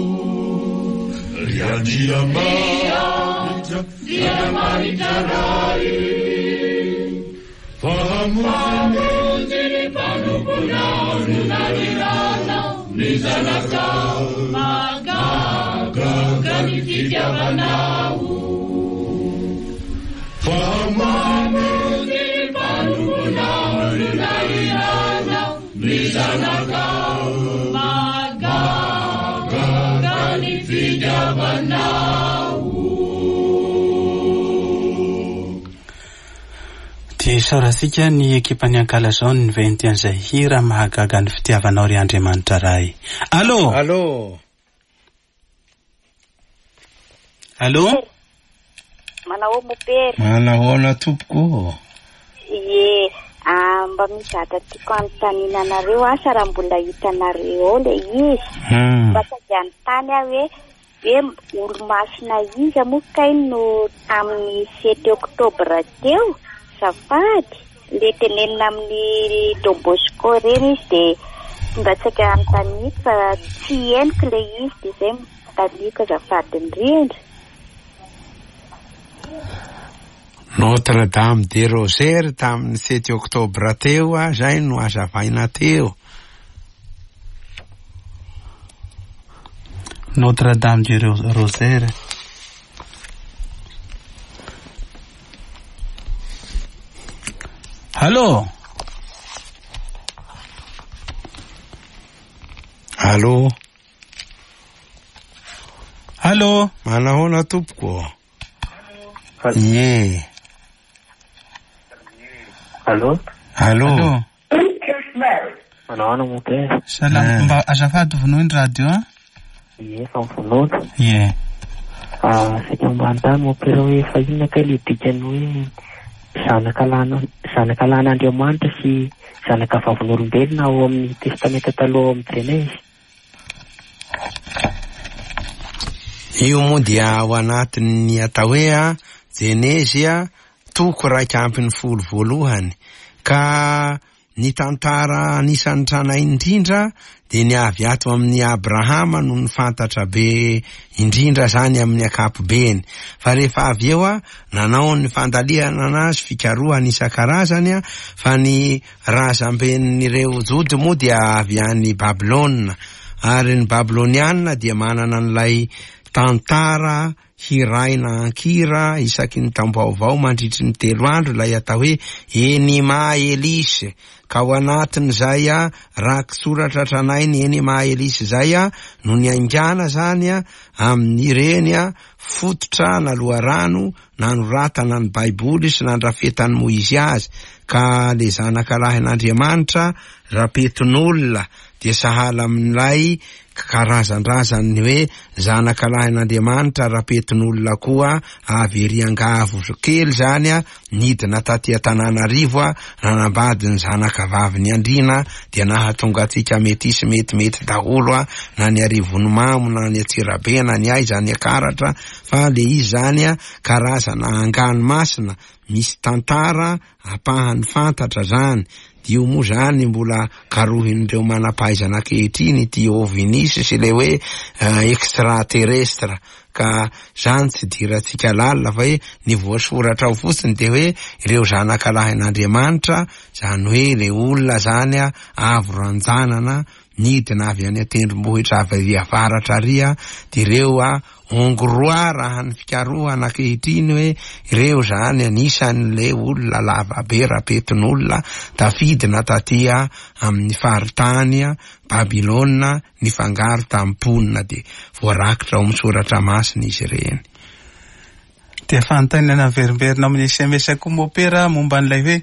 [SPEAKER 4] ry Andriamanitra,
[SPEAKER 3] Andriamanitra Ray.
[SPEAKER 4] Fa hamonjy
[SPEAKER 3] ny mpanomponao nirahirana ny zanakao, mahagaga ny fitiavanao.
[SPEAKER 4] Fa hamonjy
[SPEAKER 3] ny mpanomponao nirahirana ny zanakao, mahagaga ny fitiavanao.
[SPEAKER 1] Dia isaorantsika ny ekipan'ny Ankalazao ny niventy an'izay hira mahagaga ny fitiavanao ry Andriamanitra Ray. Allô?
[SPEAKER 2] Allô?
[SPEAKER 1] Allô?
[SPEAKER 5] Manao mopera.
[SPEAKER 2] Manahoana tompoko?
[SPEAKER 5] Ie, ah, mba misy zavatra tiako anontaniana anareo, asa raha mbola hitanareo ao ilay izy.
[SPEAKER 2] Hmm.
[SPEAKER 5] Mba sady anontany aho hoe hoe olo-masina iza moa kay no tamin'ny sept octobre teo? Azafady, le tenenina amin'ny Don Bosco ireny izy dia mba saika anontaniako fa tsy henoko ilay izy, dia izay manontaniako azafady indrindra.
[SPEAKER 2] Notre Dame de Rosaire tamin'ny sept octobre teo, zay no azavaina teo.
[SPEAKER 1] Notre Dame de Rosaire. Allô?
[SPEAKER 2] Allô?
[SPEAKER 1] Allô?
[SPEAKER 2] Manahoana tompoko? Ie.
[SPEAKER 6] Allô?
[SPEAKER 2] Allô?
[SPEAKER 6] Manahoana mopera?
[SPEAKER 1] Salama, mba azafady vonoy ny radio a?
[SPEAKER 6] Ie, efa mivonoina.
[SPEAKER 1] Ie.
[SPEAKER 6] Ah, saika mba hanontany mopera hoe fa inona kay le dikany hoe zanaka lana zanaka lan'Andriamanitra sy zanaka vavin'olombelona ao amin'ny Testamenta taloha ao amin'ny Jenezy?
[SPEAKER 2] Io moa dia ao anatin'ny atao hoe a Jenezy a toko raika ambin'ny folo voalohany, ka ny tantara anisan'ny tranainy indrindra dia ny avy ato amin'ny Abrahama no nifantatra be indrindra zany amin'ny ankapobeny. Fa rehefa avy eo a nanao ny fandalihana anazy fikarohana isan-karazany a, fa ny razamben'ireo Jody moa dia avy any Babylona, ary ny Babylonianina dia manana an'ilay tantara hiraina ankira isaky ny taom-baovao mandritry ny telo andro, ilay atao hoe Enima Elisy. Ka ao anatin'izay a rakitsoratra tranainy Enima Elisy zay a no niaingàna zany a amin'ireny a fototra na loharano nanoratana ny Baiboly sy nandrafetan'i Moizy azy. Ka le zanaka lahin'Andriamanitra rapetin'olona dia sahala amin'ilay karazan-drazany hoe zanaka lahin'Andriamanitra rapetin'olona koa avy ery Angavo kely zany a nidina taty Antananarivo a nanambady ny zanaka vavin'ny Andriana, dia nahatonga antsika metisy metimety daholo a na ny Arivonimamo na ny Antsirabe na ny aiza ny Ankaratra. Fa le izy zany a karazana angano masina misy tantara ampahany fantatra zany, Io moa zany mbola karohin'ireo manam-pahaizana ankehitriny ity ovnis sy ilay hoe extraterrestre, ka zany tsy dirantsika lalina fa hoe ny voasoratra ao fotsiny de hoe ireo zanakalahin'Andriamanitra, zany hoe le olona zany a avo ranjanana nidina avy any an-tendrombohitra avy ary avaratra ary a, de ireo a hongrois raha ny fikarohana ankehitriny hoe ireo zany anisan'le olona lavabe rapetin'olona tafidina taty a amin'ny faritany a Babylona nifangaro tamin'ny mponina, de voarakitra ao amin'ny soratra masina izy ireny.
[SPEAKER 1] Dia fanontaniana miverimberina amin'ny S M S koa mopera momba an'ilay hoe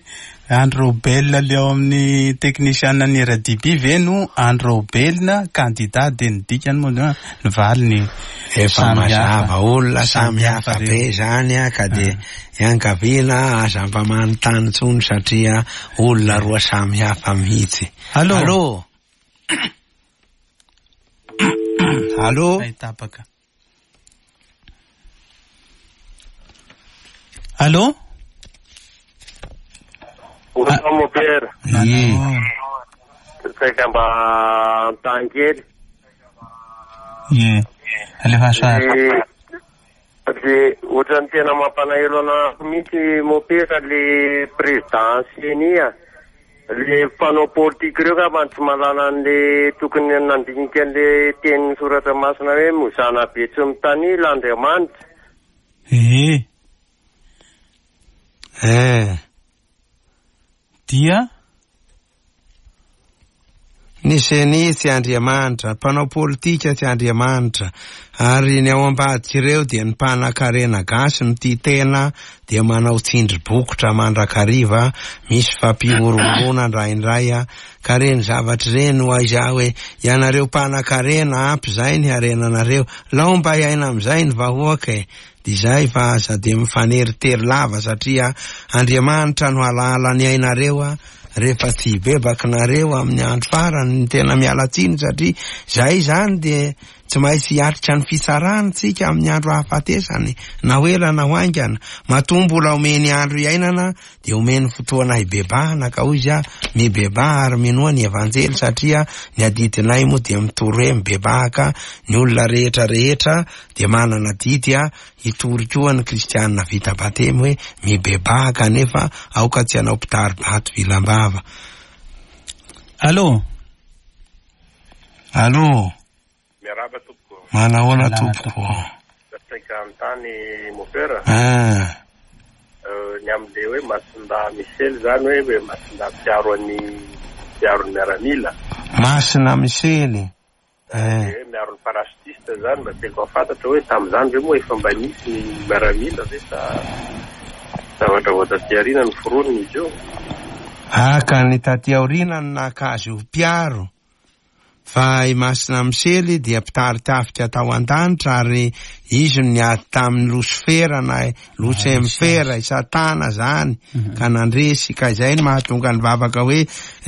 [SPEAKER 1] Andry Raobelina le ao amin'ny teknisiana ny R D B ve no Andry Raobelina candidat, dia ny dikany moa ny valiny
[SPEAKER 2] efa
[SPEAKER 1] samy hafa.
[SPEAKER 2] mazava, olona samy hafa
[SPEAKER 1] Samy
[SPEAKER 2] be
[SPEAKER 1] hafa
[SPEAKER 2] zany a, ka dia iangaviana aza mba manontany intsony satria olona roa samy hafa mihitsy.
[SPEAKER 1] Allô?
[SPEAKER 2] Allô? Allô?
[SPEAKER 1] Ay, tapaka. Allô?
[SPEAKER 7] Bonsoir, mon père.
[SPEAKER 2] Ie.
[SPEAKER 7] Saika mba anontany kely.
[SPEAKER 1] Ie. Alefa soa.
[SPEAKER 7] Le, le ohatran'ny tena mampanahelo anahy mihitsy mon père le président C E N I a. Le mpanao politique ireo ka mba tsy mahalala an'le tokony nandinika an'le tenin'ny soratra masina hoe mozana be tsy mitanila Andriamanitra.
[SPEAKER 1] Ie.
[SPEAKER 2] Eh.
[SPEAKER 1] Dia?
[SPEAKER 2] Ny C E N I tsy Andriamanitra, mpanao politika tsy Andriamanitra, ary ny ao ambadika ireo dia ny mpanan-karena gasy no tia tena, dia manao tsindry bokotra mandrakariva, misy fampihorohoroana indraindray a, ka reny zavatra ireny ho aiza hoe ianareo mpanan-karena ampy izay ny harenanareo, lao mba hiaina amin'izay ny vahoaka e. Dia izay fa aza dia mifaneritery lava satria Andriamanitra no halala ny ainareo a, rehefa tsy hibebaka nareo amin'ny andro farany ny tena miala tsiny, satria zay zany dia tsy maintsy hiatrika ny fitsarana tsika amin'ny andro ahafatesany, na ho ela na ho haingana. Matoa mbola omeny andro iainana dia omeny fotoana hibebahana, ka hoy izy a, mibebaha ary minoa ny evanjely, satria ny adidinay moa dia mitory hoe mibebahaka ny olona rehetra rehetra dia manana adidy a hitory koa ny kristianina vita batemy hoe mibebaha kanefa aoka tsy hanao mpitari-bato vilam-bava.
[SPEAKER 1] Allô?
[SPEAKER 2] Allô?
[SPEAKER 7] Miarahaba tompoko.
[SPEAKER 2] Manahoana
[SPEAKER 1] Miarahaba
[SPEAKER 2] tompoko?
[SPEAKER 7] Saika anontany mon père.
[SPEAKER 2] Ah.
[SPEAKER 7] Euh, ny amin'le hoe Masinda Michel zany hoe, hoe Masinda mpiaro an'ny, mpiaro ny miaramila.
[SPEAKER 2] Masina Michel. Eh.
[SPEAKER 7] Hoe miaro ny parachutiste zany, mba tiako hahafantatra hoe tamin'izany ve moa efa mba nisy ny miaramila ve sa zavatra vao taty aoriana ny foroniny izy io?
[SPEAKER 2] Ah, ka ny taty aoriana no naka azy ho mpiaro. Fa i Masina Misely dia mpitari-tafika tao an-danitra, ary izy no niady tamin'ny Losifera na Losemfera, i Satana zany, ka nandresy. Ka izay no mahatonga ny vavaka hoe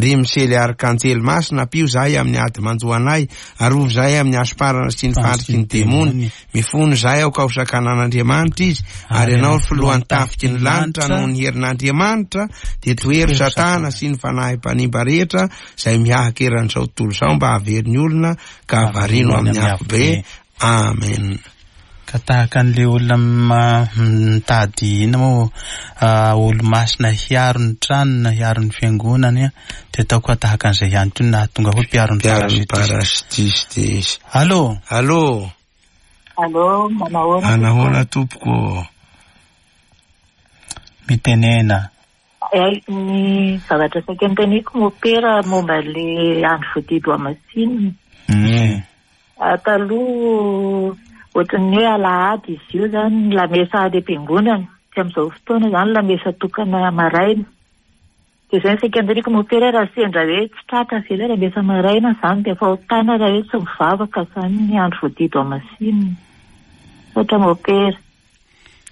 [SPEAKER 2] ry Misely arkanjely masina, ampio zahay amin'ny ady manjo anay, arovy zahay amin'ny hasoparana sy ny fandriky ny demony, mifono zahay aoka ho sakanan'Andriamanitra izy, ary ianao filohan'ny tafiky ny lanitra noho ny herin'Andriamanitra, dia tohero Satana sy ny fanahy mpanimba rehetra izay mihahaka eran'izao tontolo izao mba hahavery ny olona ka havarino amin'ny afobe. Amen.
[SPEAKER 1] Ka tahaka an'le olona ma-, mitady inona moa, ah, olo-masina hiaro ny tranony na hiaro ny fiangonany, dia ataoko fa tahaka an'izay ihany koa no nahatonga hoe mpiaro ny
[SPEAKER 2] Mpiaro ny
[SPEAKER 1] parachutiste.
[SPEAKER 2] parachutiste izy.
[SPEAKER 1] Allô?
[SPEAKER 2] Allô?
[SPEAKER 8] Allô, manahoana?
[SPEAKER 2] Manahoana tompoko?
[SPEAKER 1] Mitenena.
[SPEAKER 8] Eh, ny zavatra saika noteneniko mopera momba le andro voadidy ho amasinina.
[SPEAKER 2] Mm.
[SPEAKER 8] Ah, taloha ohatran'ny hoe alahady izy io zany, lamesa any am-piangonana. Tsy amin'izao fotoana zany lamesa tokana maraina. Dia izay ny saika noteneniko mopera, raha sendra hoe tsy tratra ve ilay lamesa maraina zany dia fahotana raha hoe tsy mivavaka zany ny andro voadidy ho amasinina. Misaotra mopera.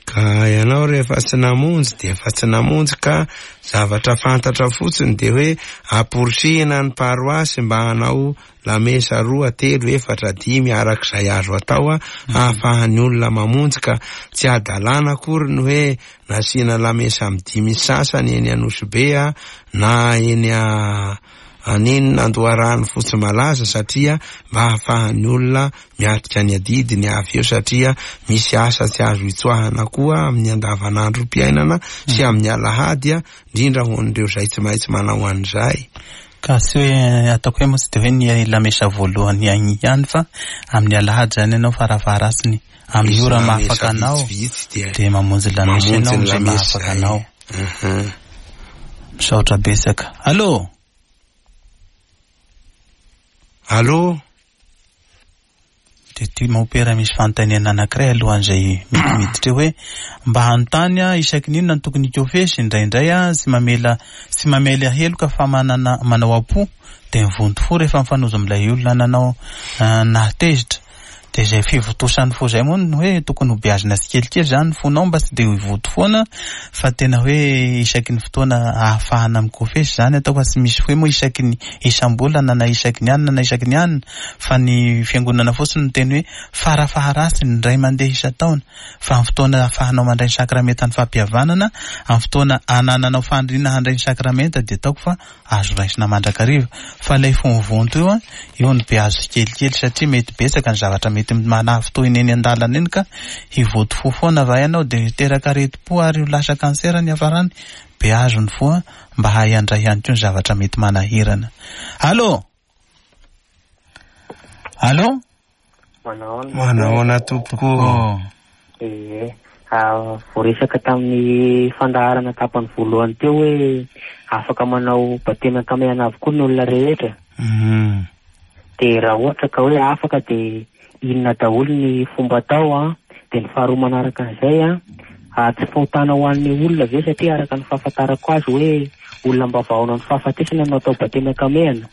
[SPEAKER 2] Ka ianao rehefa tsy namonjy dia efa tsy namonjy, ka zavatra fantatra fotsiny dia hoe amporisihina ny paroasy mba hanao lamesa roa, telo, efatra, dimy arak'izay azo atao a, ahafahan'ny olona mamonjy. Ka tsy adalàna akory ny hoe nasiana lamesa amin'ny dimy sasany eny Anosibe a, na eny a aninona Andoharano Fotsy Malaza, satria mba ahafahan'ny olona miatrika ny adidiny avy eo, satria misy asa tsy azo itsoahana koa amin'ny andavanandrom-piainana sy amin'ny alahady a, indrindra ho an'ireo izay tsy maintsy manao an'izay.
[SPEAKER 1] Ka tsy hoe ataoko hoe moa tsy de hoe ny lamesa voalohany ihany ihany, fa amin'ny alahady zany ianao farafaharatsiny amin'ny ora mahafaka anao dia mamonjy lamesa ianao amin'izay mahafaka anao. Misaotra betsaka. Allô?
[SPEAKER 2] Allô?
[SPEAKER 1] De ty mopera misy fanontaniana anankiray alohan'izay mety miditra hoe mba hanontany a, isaky ny inona no tokony hikofesy indraindray a, tsy mamela, tsy mamela heloka fa manana, manao am-po de mivonto fo rehefa mifanojo amin'ilay olona nanao nahatezitra. De izay fivotosan'ny fo izay moa no hoe tokony ho beazina tsikelikely zany ny fonao mba tsy de hivoto foana, fa tena hoe isaky ny fotoana ahafahana mikofesy zany atao, fa tsy misy hoe moa isaky ny isam-bolana na isaky ny anina na isaky ny anina, fa ny fiangonana fotsiny no teny hoe farafaharatsiny indray mandeha isan-taona, fa amin'ny fotoana ahafahanao mandray ny sakramentan'ny fampihavanana, amin'ny fotoana anananao faniriana handray ny sakramenta dia ataoko fa azo raisina mandrakariva. Fa ilay fo mivonto io a, io no beazo tsikelikely, satria mety betsaka ny zavatra mety manafintohina eny an-dalana eny, ka hivoto fo foana va ianao dia hiteraka aretim-po ary ho lasa kansera ny hafarany. Beazo ny fo a, mba hahay handray ihany koa ny zavatra mety manahirana. Allô? Allô?
[SPEAKER 2] Manahoana tompoko?
[SPEAKER 6] Eh, voaresaka tamin'ny fandaharana tapany voalohany teo hoe afaka manao batemy ankamehana avokoa ny olona rehetra. De raha ohatra ka hoe afaka dia inona daholo ny fomba atao a? De ny faharoa manaraka an'izay a, tsy fahotana ho an'ny olona ve, satria araka ny fahafantarako azy hoe olona mba vahaona ny fahafatesana no atao batemy ankamehana.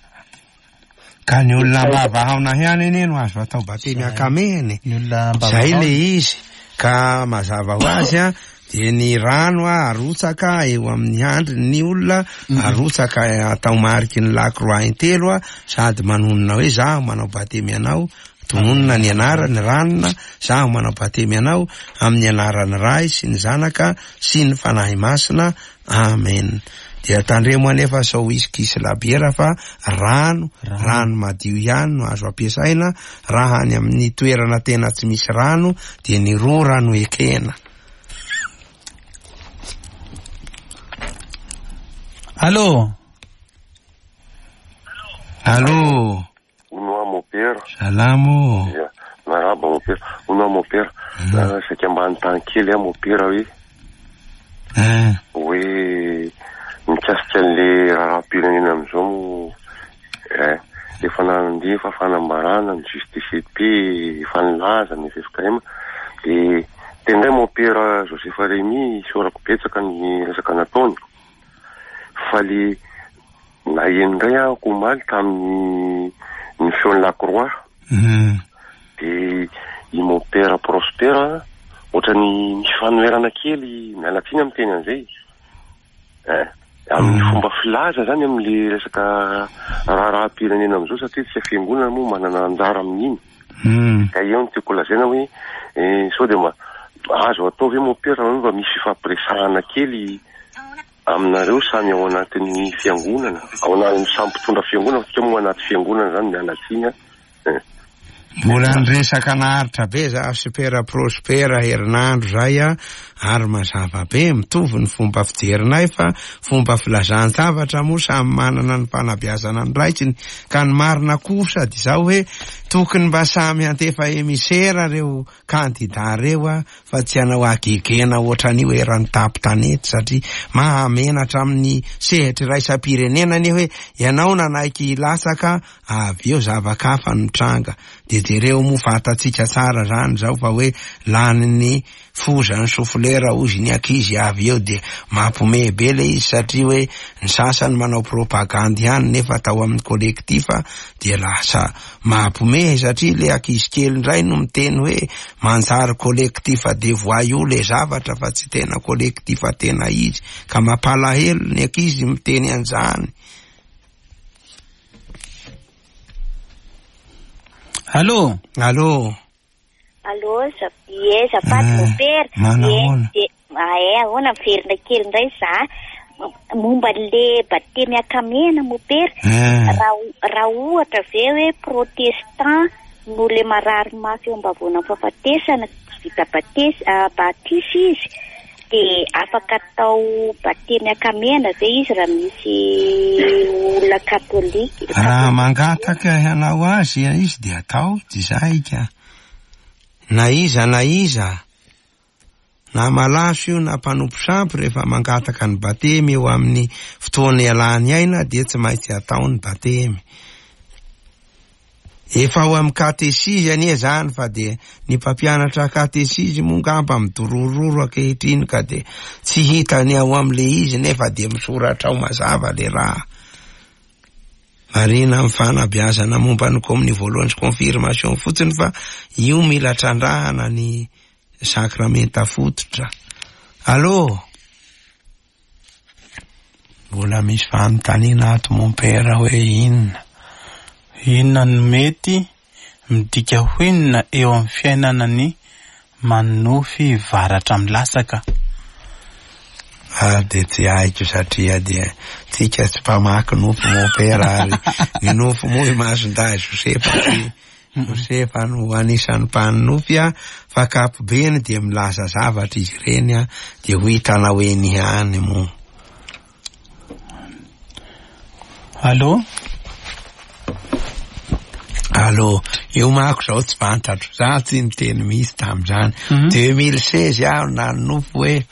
[SPEAKER 2] Ka ny olona mba vahaona ihany anie no azo atao batemy ankamehana.
[SPEAKER 1] Ny olona mba
[SPEAKER 2] Zay
[SPEAKER 1] vahaona.
[SPEAKER 2] le izy. Ka mazava ho azy a, dia ny rano a arotsaka eo amin'ny handriny ny olona, arotsaka atao mariky ny lakroa intelo a, sady manonona hoe zaho manao batemy anao, tononona ny anarany ranona, zaho manao batemy anao amin'ny anaran'ny Ray sy ny Zanaka sy ny Fanahy Masina. Amen. Dia tandremo anefa sao whisky sy labiera, fa rano, rano madio ihany no azo ampiasaina. Raha any amin'ny toerana tena tsy misy rano dia ny rora no ekena.
[SPEAKER 1] Allô?
[SPEAKER 2] Allô?
[SPEAKER 7] Ono mopera.
[SPEAKER 2] Salamo.
[SPEAKER 7] Ya, maraba mopera. Ono mopera. Saika mba hanontany kely aho mopera hoe
[SPEAKER 2] Eh.
[SPEAKER 7] hoe mikasika an'le raharaham-pirenena amin'izao moa, eh, efa nandefa fanambarana ny justice P, efa nilaza ny F F K M, de tendray mopera Joseph Rémy isaorako betsaka ny resaka nataony, fa le naheno indray aho omaly tamin'ny ny feon'ny La Croix, de i mopera Prosper ohatrany misy fanoherana kely, miala tsiny amin'ny teny an'izay. Eh, amin'ny fomba filaza zany amin'le resaka raharaham-pirenena amin'izao, satria tsika fiangonana moa manana anjara amin'iny. Ka eo no tiako lazaina hoe, eh, sao dia mba azo atao ve mopera mba misy fifampiresahana kely aminareo samy ao anatin'ny fiangonana, ao anatin'ny samy mpitondra fiangonana, fa tsika moa anaty fiangonana zany miala tsiny a. Eh.
[SPEAKER 2] Mbola niresaka naharitra be za sy Pera Prospera herinandro zay a, ary mazava be mitovy ny fomba fijerinay, fa fomba filazan-javatra moa samy manana ny fanabeazana ny raikiny. Ka ny marina kosa dia zao hoe tokony mba samy handefa emisera reo kandida reo a, fa tsy hanao agegena ohatran'io eran'ny tampon-tanety, satria mahamenatra amin'ny sehatra iraisam-pirenena anie hoe ianao nanaiky hilatsaka avy eo zava-kafa no tranga. De jereo moa fantatsika tsara zany zao fa hoe lanin'ny foza ny sofolera ozy ny ankizy avy eo, de mampiomehy be le izy, satria hoe ny sasany manao propagandy ihany nefa atao amin'ny collectif dia lasa mampiomehy. Mampiomehy satria le ankizy kely indray no miteny hoe manjary collectif de voyous le zavatra fa tsy tena collectif tena izy, ka mampalahelo ny ankizy miteny an'izany.
[SPEAKER 1] Allô?
[SPEAKER 2] Allô?
[SPEAKER 5] Allô, ie, azafady mopera. Ie, ae, ahoana miverina kely indray za. Momba le batemy akamena mopera. Raha raha ohatra ve hoe protestant no le marary mafy eo ambavoana fahafatesana vita batesy batisa izy, dia afaka atao batemy akamena ve izy raha misy olona katolika?
[SPEAKER 2] Raha mangataka hanao azy izy dia atao, tsy zay ka. Na iza na iza, na malaso io na mpanompo sampy, rehefa mangataka ny batemy eo amin'ny fotoana ialany aina dia tsy maintsy atao ny batemy. Efa ao amin'ny katesizy anie zany, fa dia ny mpampianatra katesizy moa ngamba midorororo ankehitriny ka dia tsy hitany ao amin'le izy, nefa dia misoratra ao mazava le raha. Marina amin'ny fanabeazana momba ny komin'ny voalohany sy confirmation fotsiny, fa io mila trandrahana ny sakramenta fototra. Allô? Mbola misy fanontaniana ato mompera hoe inona?
[SPEAKER 1] Inona no mety midika ho inona eo amin'ny fiainana ny manonofy varatra milasaka?
[SPEAKER 2] Ah, dia tsy haiko satria dia tsika tsy mpamaky nofo mompera, ary ny nofo moa imasondahy Josefa tsy Josefa no anisan'ny mpanonofy a, fa ankapobeny dia milaza zavatra izy ireny a, dia ho hitanao eny ihany moa.
[SPEAKER 1] Allô?
[SPEAKER 2] Allô, io mako zao tsy fantatro, za tsy niteny misy tamin'izany. deux mille seize aho nanonofy hoe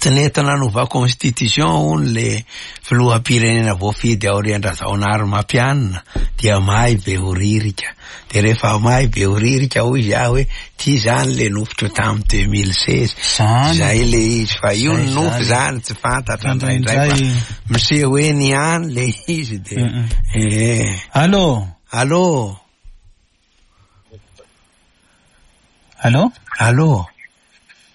[SPEAKER 2] tsy nety nanova constitution hono le filoham-pirenena voafidy aorian-dRajaonarimampianina, dia may Behoririka. Dia rehefa may Behoririka hoy izy aho hoe ty zany le nofotro tamin'ny deux mille seize. Zay le izy, fa io ny nofo zany tsy fantatra indraindray fa miseho eny ihany le izy dia eh.
[SPEAKER 1] Allô?
[SPEAKER 2] Allô?
[SPEAKER 1] Allô?
[SPEAKER 2] Allô?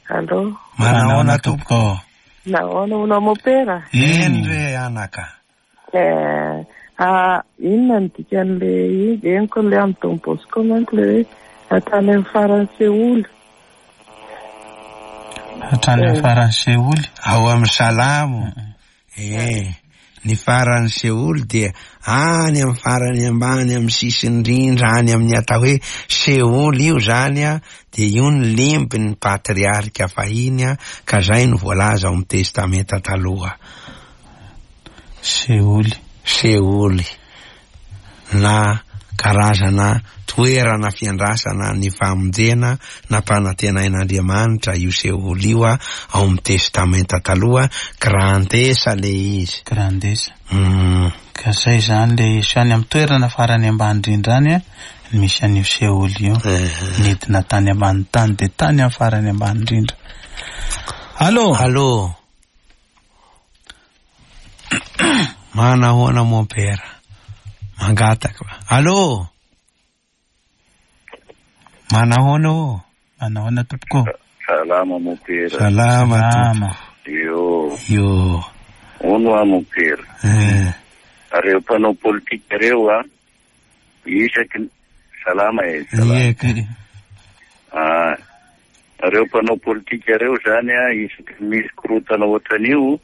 [SPEAKER 9] Allô?
[SPEAKER 2] Manahoana tompoko?
[SPEAKER 9] Nahoana hono mopera?
[SPEAKER 2] Eny re anaka.
[SPEAKER 9] Eh, ah, inona ny dikan'le izy? Henoko le amin'ny Don Bosco manko le hoe hatrany amin'ny faran'ny seholy.
[SPEAKER 1] Hatrany amin'ny faran'ny seholy?
[SPEAKER 2] Ao amin'ny Salamo. Eh, ny faran'ny seholy dia any amin'ny farany ambany amin'ny sisiny indrindra any amin'ny atao hoe seholy io zany a, dia io ny limby ny patriarika fahiny a, ka zay no voalaza ao amin'ny Testamenta taloha.
[SPEAKER 1] Seholy.
[SPEAKER 2] Seholy na karazana toerana fiandrasana ny famonjena nampanantenain'Andriamanitra io seholy io a, ao amin'ny Testamenta taloha, grandesa le izy.
[SPEAKER 1] Grandesa.
[SPEAKER 2] Mm.
[SPEAKER 1] Ka zay zany le izy any amin'ny toerana farany ambany indrindra any a, misy an'io seholy io. Nidina tany ambany tany dia tany amin'ny farany ambany indrindra. Allô?
[SPEAKER 2] Allô? Manahoana mompera? Mangataka. Allô? Manahoana ô?
[SPEAKER 1] Manahoana tompoko?
[SPEAKER 10] Salama mompera.
[SPEAKER 2] Salama tompoko.
[SPEAKER 10] Io.
[SPEAKER 2] Io.
[SPEAKER 10] Ono a mompera.
[SPEAKER 2] Eh.
[SPEAKER 10] Reo mpanao politika reo a, isaky salama e, salama.
[SPEAKER 1] Ie.
[SPEAKER 10] Ah, reo mpanao politika reo zany a, isaky misy korotana ohatran'io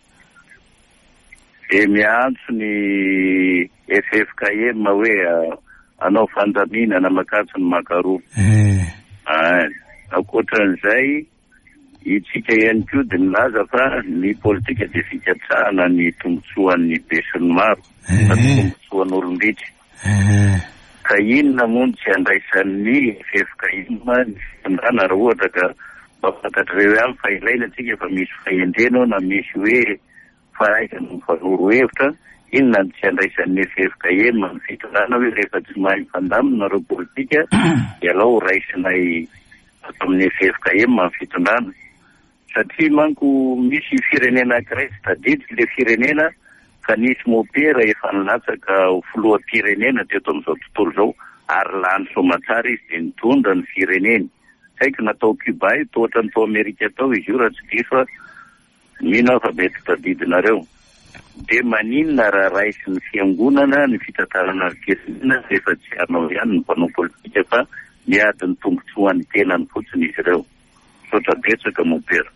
[SPEAKER 10] dia miantso ny F F K M hoe anao fandaminana makatso ny makaroa.
[SPEAKER 2] Eh.
[SPEAKER 10] Ah, ankoatran'izay itsika ihany koa dia milaza fa ny politika dia fikatsahana ny tombontsoan'ny besinimaro, fa ny tombontsoan'olom-bitsy. Ka inona moa no tsy andraisan'ny F F K M ny fitondrana raha ohatra ka mba fantatr'ireo ihany fa ilaina tsika fa misy fahendrena ao na misy hoe fahaizana mifanoro hevitra, inona no tsy andraisan'ny F F K M ny fitondrana hoe rehefa tsy mahay mifandamina ireo politika dia alao raisinay ato amin'ny F F K M ny fitondrana. Satria manko misy firenena anankiray tsy tadidiko le firenena ka nisy mopera efa nilatsaka ho filoham-pirenena teto amin'izao tontolo izao, Ary lany soamantsara izy dia nitondra ny fireneny. Tsy haiko na tao Cuba io, toa ohatran'ny tao Amerika tao izy io raha tsy diso aho. Mino aho fa mety tadidinareo. Dia maninona raha raisin'ny fiangonana ny fitantarana ny firenena rehefa tsy hanao ihany ny mpanao politika fa miady ny tombontsoan'ny tenany fotsiny izy ireo. Misaotra betsaka mompera.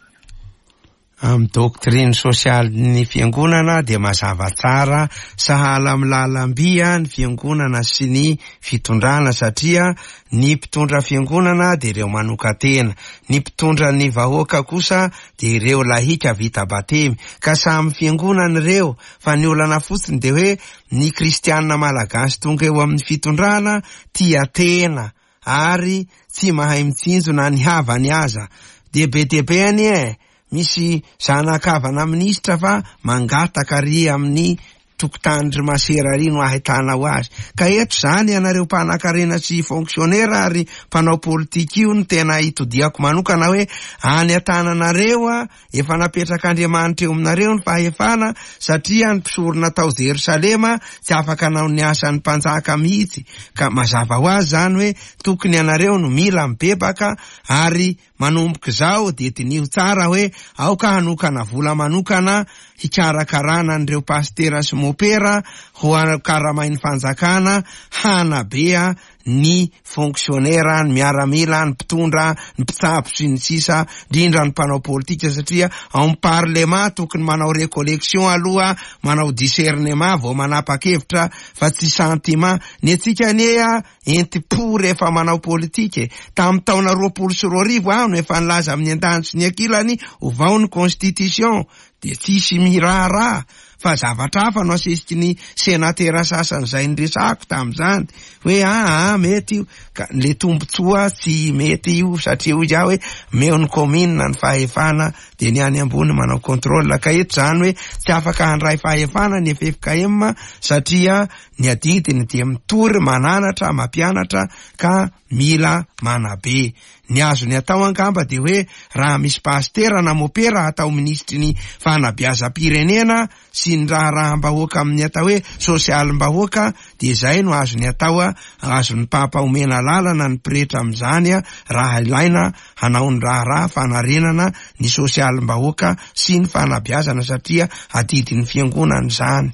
[SPEAKER 2] Amin'ny doctrine sosialin'ny fiangonana dia mazava tsara, sahala amin'ny lalam-by ny fiangonana sy ny fitondrana, satria ny mpitondra fiangonana dia ireo manokan-tena, ny mpitondra ny vahoaka kosa dia ireo lahika vita batemy, ka samy fiangonana ireo, fa ny olana fotsiny dia hoe ny kristianina malagasy tonga eo amin'ny fitondrana tia tena ary tsy mahay mitsinjo na ny havany aza. Dia be dia be anie e, misy zanakavana minisitra fa mangataka ary amin'ny tokotany ry masera ary no ahitanao azy. Ka eto zany ianareo mpanan-karena sy fonctionnaire ary mpanao politika io no tena itodiako manokana hoe any an-tananareo a, efa napetrak'Andriamanitra eo aminareo ny fahefana, satria ny mpisorona tao Jerosalema tsy afaka nanao ny asan'ny mpanjaka mihitsy. Ka mazava ho azy zany hoe tokony ianareo no mila mibebaka, ary manomboka izao dia diniho tsara hoe aoka hanokana vola manokana hikarakarana an'ireo pastera sy mopera ho karamain'ny fanjakana hanabea ny fonctionnaire, ny miaramila, ny mpitondra, ny mpitsabo sy ny sisa, indrindra ny mpanao politika, satria ao amin'ny parlement tokony manao recollection aloha, manao discernement vao manapa-kevitra fa tsy sentiment. Ny antsika anie a enti-po rehefa manao politika e. Tamin'ny taona roapolo sy roa arivo aho no efa nilaza amin'ny andaniny sy ny ankilany ovao ny constitution, dia tsisy miraharaha fa zavatra hafa no asesiky ny senatera sasany izay niresahako tamin'izany hoe aa mety io, ka le tombontsoa tsy mety io, satria hoy aho hoe meo ny commune ny fahefana dia ny any ambony manao contrôle. Ka eto zany hoe tsy afaka handray fahefana ny F F K M satria ny adidiny dia mitory, mananatra, mampianatra, ka mila manabe. Ny azony atao angamba dia hoe raha misy pastera na mopera atao minisitry ny fanabeazam-pirenena sy ny raharaham-bahoaka amin'ny atao hoe sosialim-bahoaka, dia izay no azony atao, azon'ny papa omena lalana ny pretra amin'izany raha ilaina hanao ny raharaha fanarenana ny sosialim-bahoaka sy ny fanabeazana, satria adidin'ny fiangonana izany.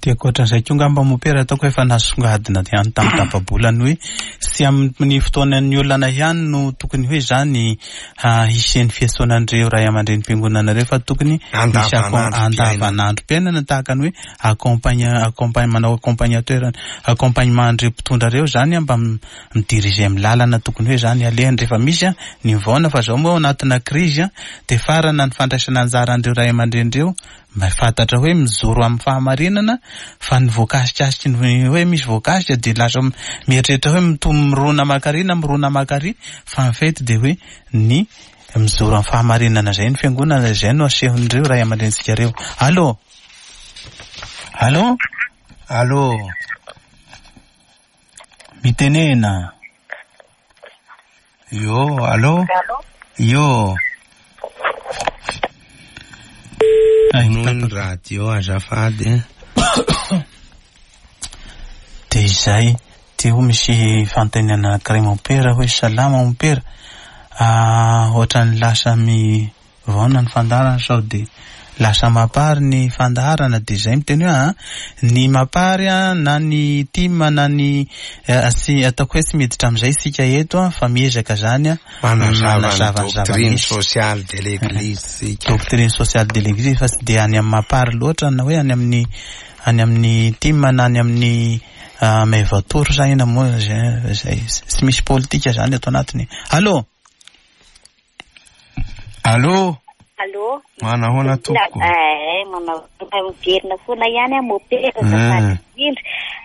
[SPEAKER 1] Dia ankoatran'izay koa angamba mopera ataoko efa nasongadina ihany tamin'ny tapa-bolana hoe tsy amin'ny fotoanan'ny olana ihany no tokony hoe zany hisian'ny fiantsonan'ireo ray aman-drenim-piangonana ireo, fa tokony misy andavanandrom-piainana tahaka ny hoe accompagna-, accompagna-, manao accompagnateur, accompagnement an'ireo mpitondra ireo zany mba midiriger amin'ny lalana tokony hoe zany alehany rehefa misy ny mivaona. Fa zao moa ao anatina krizy dia farana ny fandraisana anjara an'ireo ray aman-dreny ireo mba fantatra hoe mijoro amin'ny fahamarinana, fa ny voakasikasiky ny hoe misy voakasika dia lasa mieritreritra hoe mitombo mirona makary na mirona makary, fa en fait dia hoe ny mijoro amin'ny fahamarinana izay ny fiangonana, izay no asehon'ireo ray aman-drenintsika ireo. Allô? Allô?
[SPEAKER 2] Allô?
[SPEAKER 1] Mitenena.
[SPEAKER 2] Yo, allô? Yo. Noho ny radio azafady.
[SPEAKER 1] Dia izay, teo misy fanontaniana anankiray mompera hoe salama mompera. Ah, ohatran'ny lasa mivaona ny fandaharana sao dia lasa mapary ny fandaharana, dia izay miteny hoe ah, ny mapary ah, na ny tim na ny, eh, tsy ataoko hoe tsy miditra amin'izay isika eto ah, fa miezaka zany ah,
[SPEAKER 2] manazava ny
[SPEAKER 1] manazava ny
[SPEAKER 2] doctrine
[SPEAKER 1] zava-misy.
[SPEAKER 2] sociale de l'église isika.
[SPEAKER 1] Doctrine sociale de l'église, fa tsy dia any amin'ny mapary loatra na hoe any amin'ny, any amin'ny tim na any amin'ny, ah, Mevatour zany na moa zay, zay tsy misy politika zany ato anatiny. Allô?
[SPEAKER 2] Allô?
[SPEAKER 5] Allô?
[SPEAKER 2] Manahoana tompoko?
[SPEAKER 5] Eh, manao miverina foana ihany aho mopera
[SPEAKER 2] Mm.
[SPEAKER 5] azafady indrindra.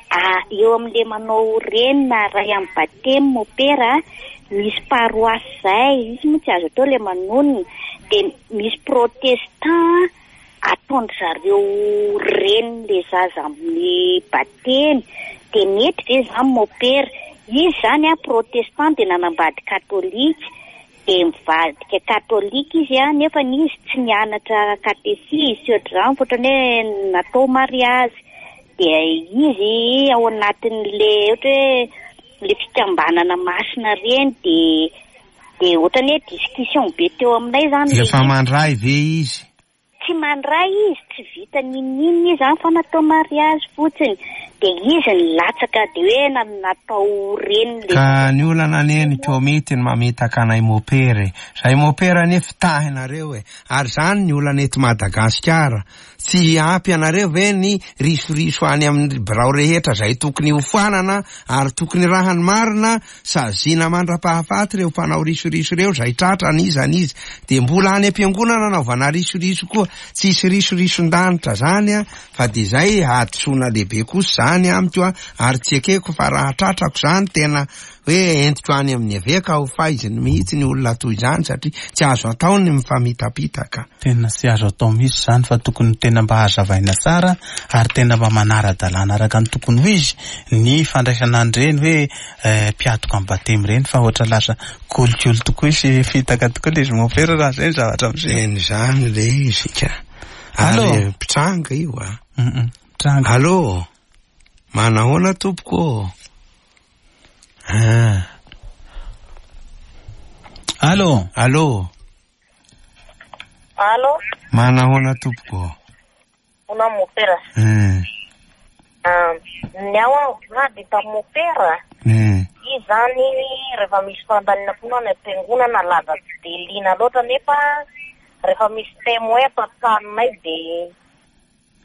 [SPEAKER 5] Ah, eo amin'le manao reny na ray amin'ny batemy mopera, misy paroasy zay, izy moa tsy azo atao le manonona, dia misy protestant ataon-dry zareo reny le zaza amin'ny batemy, dia mety ve zany mopera? Izy zany a protestant dia nanambady katolika, dia mivadika katolika izy a, nefa izy tsy nianatra katesizy sy ohatr'izany, fa ohatran'ny hoe natao mariazy. Dia izy ao anatin'le ohatra hoe le fikambanana masina reny dia dia ohatrany hoe discussion be teo aminay zany.
[SPEAKER 2] Efa mandray ve izy?
[SPEAKER 5] Tsy mandray izy, tsy vita n'inon'inona izy zany fa natao mariazy fotsiny. Dia izy nilatsaka dia hoe natao reniny le.
[SPEAKER 2] Ka ny olana anie ny komity ny mamitaka anay mopera e. Zay mopera anie fitahinareo e. Ary zany ny olana eto Madagasikara. Tsy ampy anareo ve ny risoriso any amin'ny birao rehetra zay tokony hofoanana ary tokony raha ny marina saziana mandra-pahafaty ireo mpanao risoriso ireo zay tratra n'iza n'iza. Dia mbola any am-piangonana anaovana risoriso koa. Tsisy risorison-danitra zany a, fa dia zay hadisoana lehibe kosa zany amiko a, ary tsy ekeko fa raha tratrako zany tena hoe entiko any amin'ny eveka ho faiziny mihitsy ny olona toy izany satria tsy azo atao ny mifamitapitaka.
[SPEAKER 1] Tena tsy azo atao mihitsy zany fa tokony tena mba hazavaina tsara ary tena mba manara-dalàna araka ny tokony ho izy ny fandraisana an'ireny hoe mpiatoka amin'ny batemy ireny fa ohatra lasa kolikoly tokoa sy fitaka tokoa ilay izy mopera raha izay ny zavatra miseho.
[SPEAKER 2] Eny zany le izy ka.
[SPEAKER 1] Allô?
[SPEAKER 2] Ary mpitranga io a.
[SPEAKER 1] Mpitranga.
[SPEAKER 2] Allô? Manahoana tompoko? Ah.
[SPEAKER 1] Allô?
[SPEAKER 2] Allô?
[SPEAKER 11] Allô?
[SPEAKER 2] Manahoana tompoko?
[SPEAKER 11] Ona mopera.
[SPEAKER 2] Eh.
[SPEAKER 11] Ah, ny ao aho vady tamin'ny mopera.
[SPEAKER 2] Eh.
[SPEAKER 11] Izy zany rehefa misy fandaniana foana any am-piangonana lava tsy dia liana loatra nefa rehefa misy témoin ato an-tranonay dia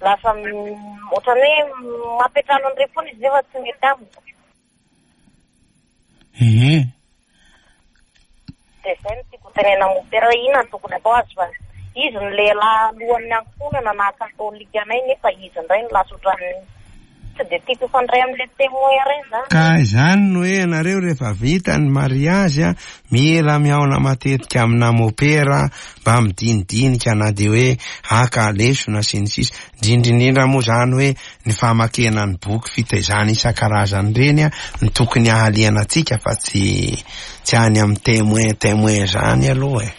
[SPEAKER 11] lasa ohatran'ny hoe mampiantrano an'ireny foana izy nefa tsy mety amiko.
[SPEAKER 1] Ehe.
[SPEAKER 11] Dia izay no tiako tenena mopera hoe inona no tokony atao azy fa izy ny lehilahy alohan'ny ankohonana na katolika anay nefa izy indray no lasa ohatran'ny tsy dia tiako hifandray amin'ilay témoin ireny zany.
[SPEAKER 2] Ka izany no hoe ianareo rehefa vita ny mariazy a, mila mihaona matetika amina mopera mba midinidinika na dia hoe haka lesona sy ny sisa. Indrindra moa zany hoe ny famakena ny boky fitaizana isan-karazany ireny a, ny tokony hahaliana antsika fa tsy tsy any amin'ny témoin témoin zany aloha e.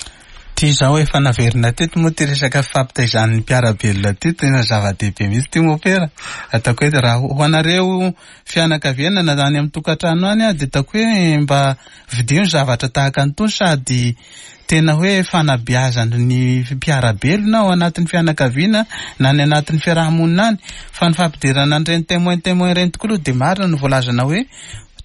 [SPEAKER 1] Ty zao efa naverina teto moa ty resaka fampitaizan'ny mpiara-belona ty tena zava-dehibe mihitsy ty mopera. Ataoko hoe raha ho anareo fianakaviana na any amin'ny tokantrano any a, dia ataoko hoe mba vidio ny zavatra tahaka an'itony sady tena hoe fanabeazana ny mpiara-belona ao anatin'ny fianakaviana na ny anatin'ny fiarahamonina any. Fa ny fampidirana an'ireny témoin témoin ireny tokoa aloha dia marina no voalazana hoe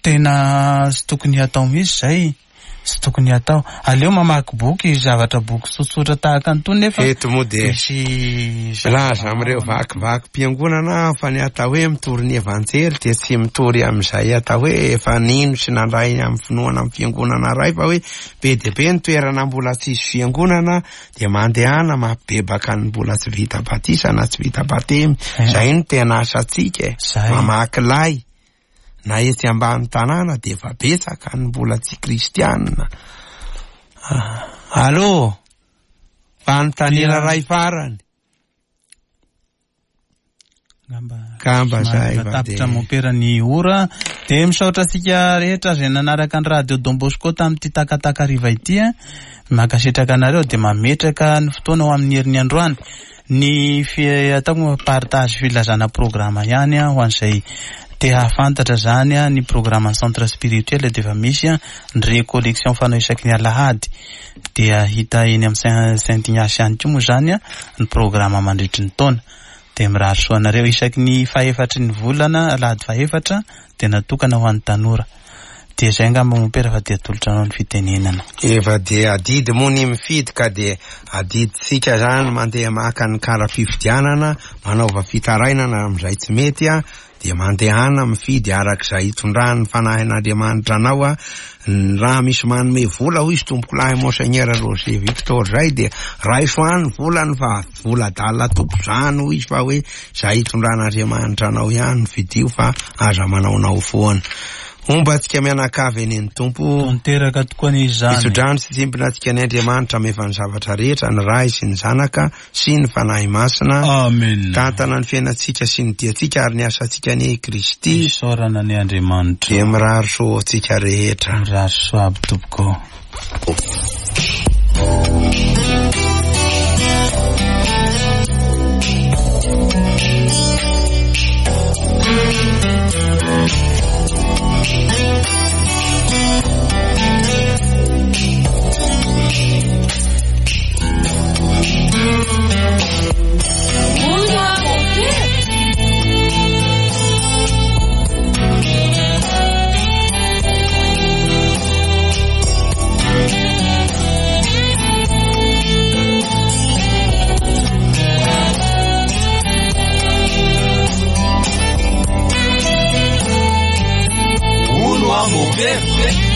[SPEAKER 1] tena tsy tokony hatao mihitsy izay. Tsy tokony hatao. Aleo mamaky boky, zavatra boky tsotsotra tahaka an'itony nefa
[SPEAKER 2] eto moa dia
[SPEAKER 1] misy
[SPEAKER 2] milaza amin'ireo vakivakim-piangonana fa ny atao hoe mitory ny evanjely dia tsy mitory amin'izay atao hoe efa nino sy nandray amin'ny finoana amin'ny fiangonana iray fa hoe be dia be ny toerana mbola tsisy fiangonana dia mandehana mampibebaka ny mbola tsy vita batisa na tsy vita batemy. Izay no tena asantsika e. Mamaky lay. Na etsy ambany tanàna dia efa betsaka ny mbola tsy kristianina. Allô? Fanontaniana iray farany. Kamba zay
[SPEAKER 1] va tapitra mopera ny ora. Dia misaotra antsika rehetra izay nanaraka ny radio Don Bosco tamin'ity takataka hariva ity a. Mankasitraka anareo dia mametraka ny fotoana ho amin'ny herin'ny androany. Ny ataoko partage filazana programa ihany a, ho an'izay te hahafantatra zany a, ny programme centre spirituel dia efa misy a, ny récollection fanao isaky ny alahady dia hita eny amin'ny Saint Ignace ihany koa moa zany a, ny programme mandritry ny taona. Dia mirary soa anareo isaky ny fahefatry ny volana alahady fahefatra dia natokana ho an'ny tanora. Dia izay angamba mopera fa dia atolotra anao ny fitenenana.
[SPEAKER 2] Efa dia adidy moa ny mifidy ka dia adidintsika zany mandeha maka ny kara-pifidianana, manaova fitarainana amin'izay tsy mety a, dia mandehana mifidy arak'izay hitondran'ny fanahin'Andriamanitra anao a. Raha misy manome vola hoy izy tompokolahy Monseigneur Roger Victor zay dia raiso any volany fa vola adala tompo zany hoy izy fa hoe izay hitondran'Andriamanitra anao ihany fidio fa aza manaonao foana. Homba antsika mianakavy eny ny Tompo.
[SPEAKER 1] Tanteraka tokoa ny izany.
[SPEAKER 2] Mitsodrano sy tsimpona antsika ny Andriamanitra mefa ny zavatra rehetra, ny Ray sy ny Zanaka sy ny Fanahy Masina.
[SPEAKER 1] Amen.
[SPEAKER 2] Tantana ny fiainantsika sy ny diantsika ary ny asantsika ny Kristy.
[SPEAKER 1] Isaorana ny Andriamanitra.
[SPEAKER 2] Dia mirary soa antsika rehetra.
[SPEAKER 1] Mirary soa aby tompoko.
[SPEAKER 12] Very.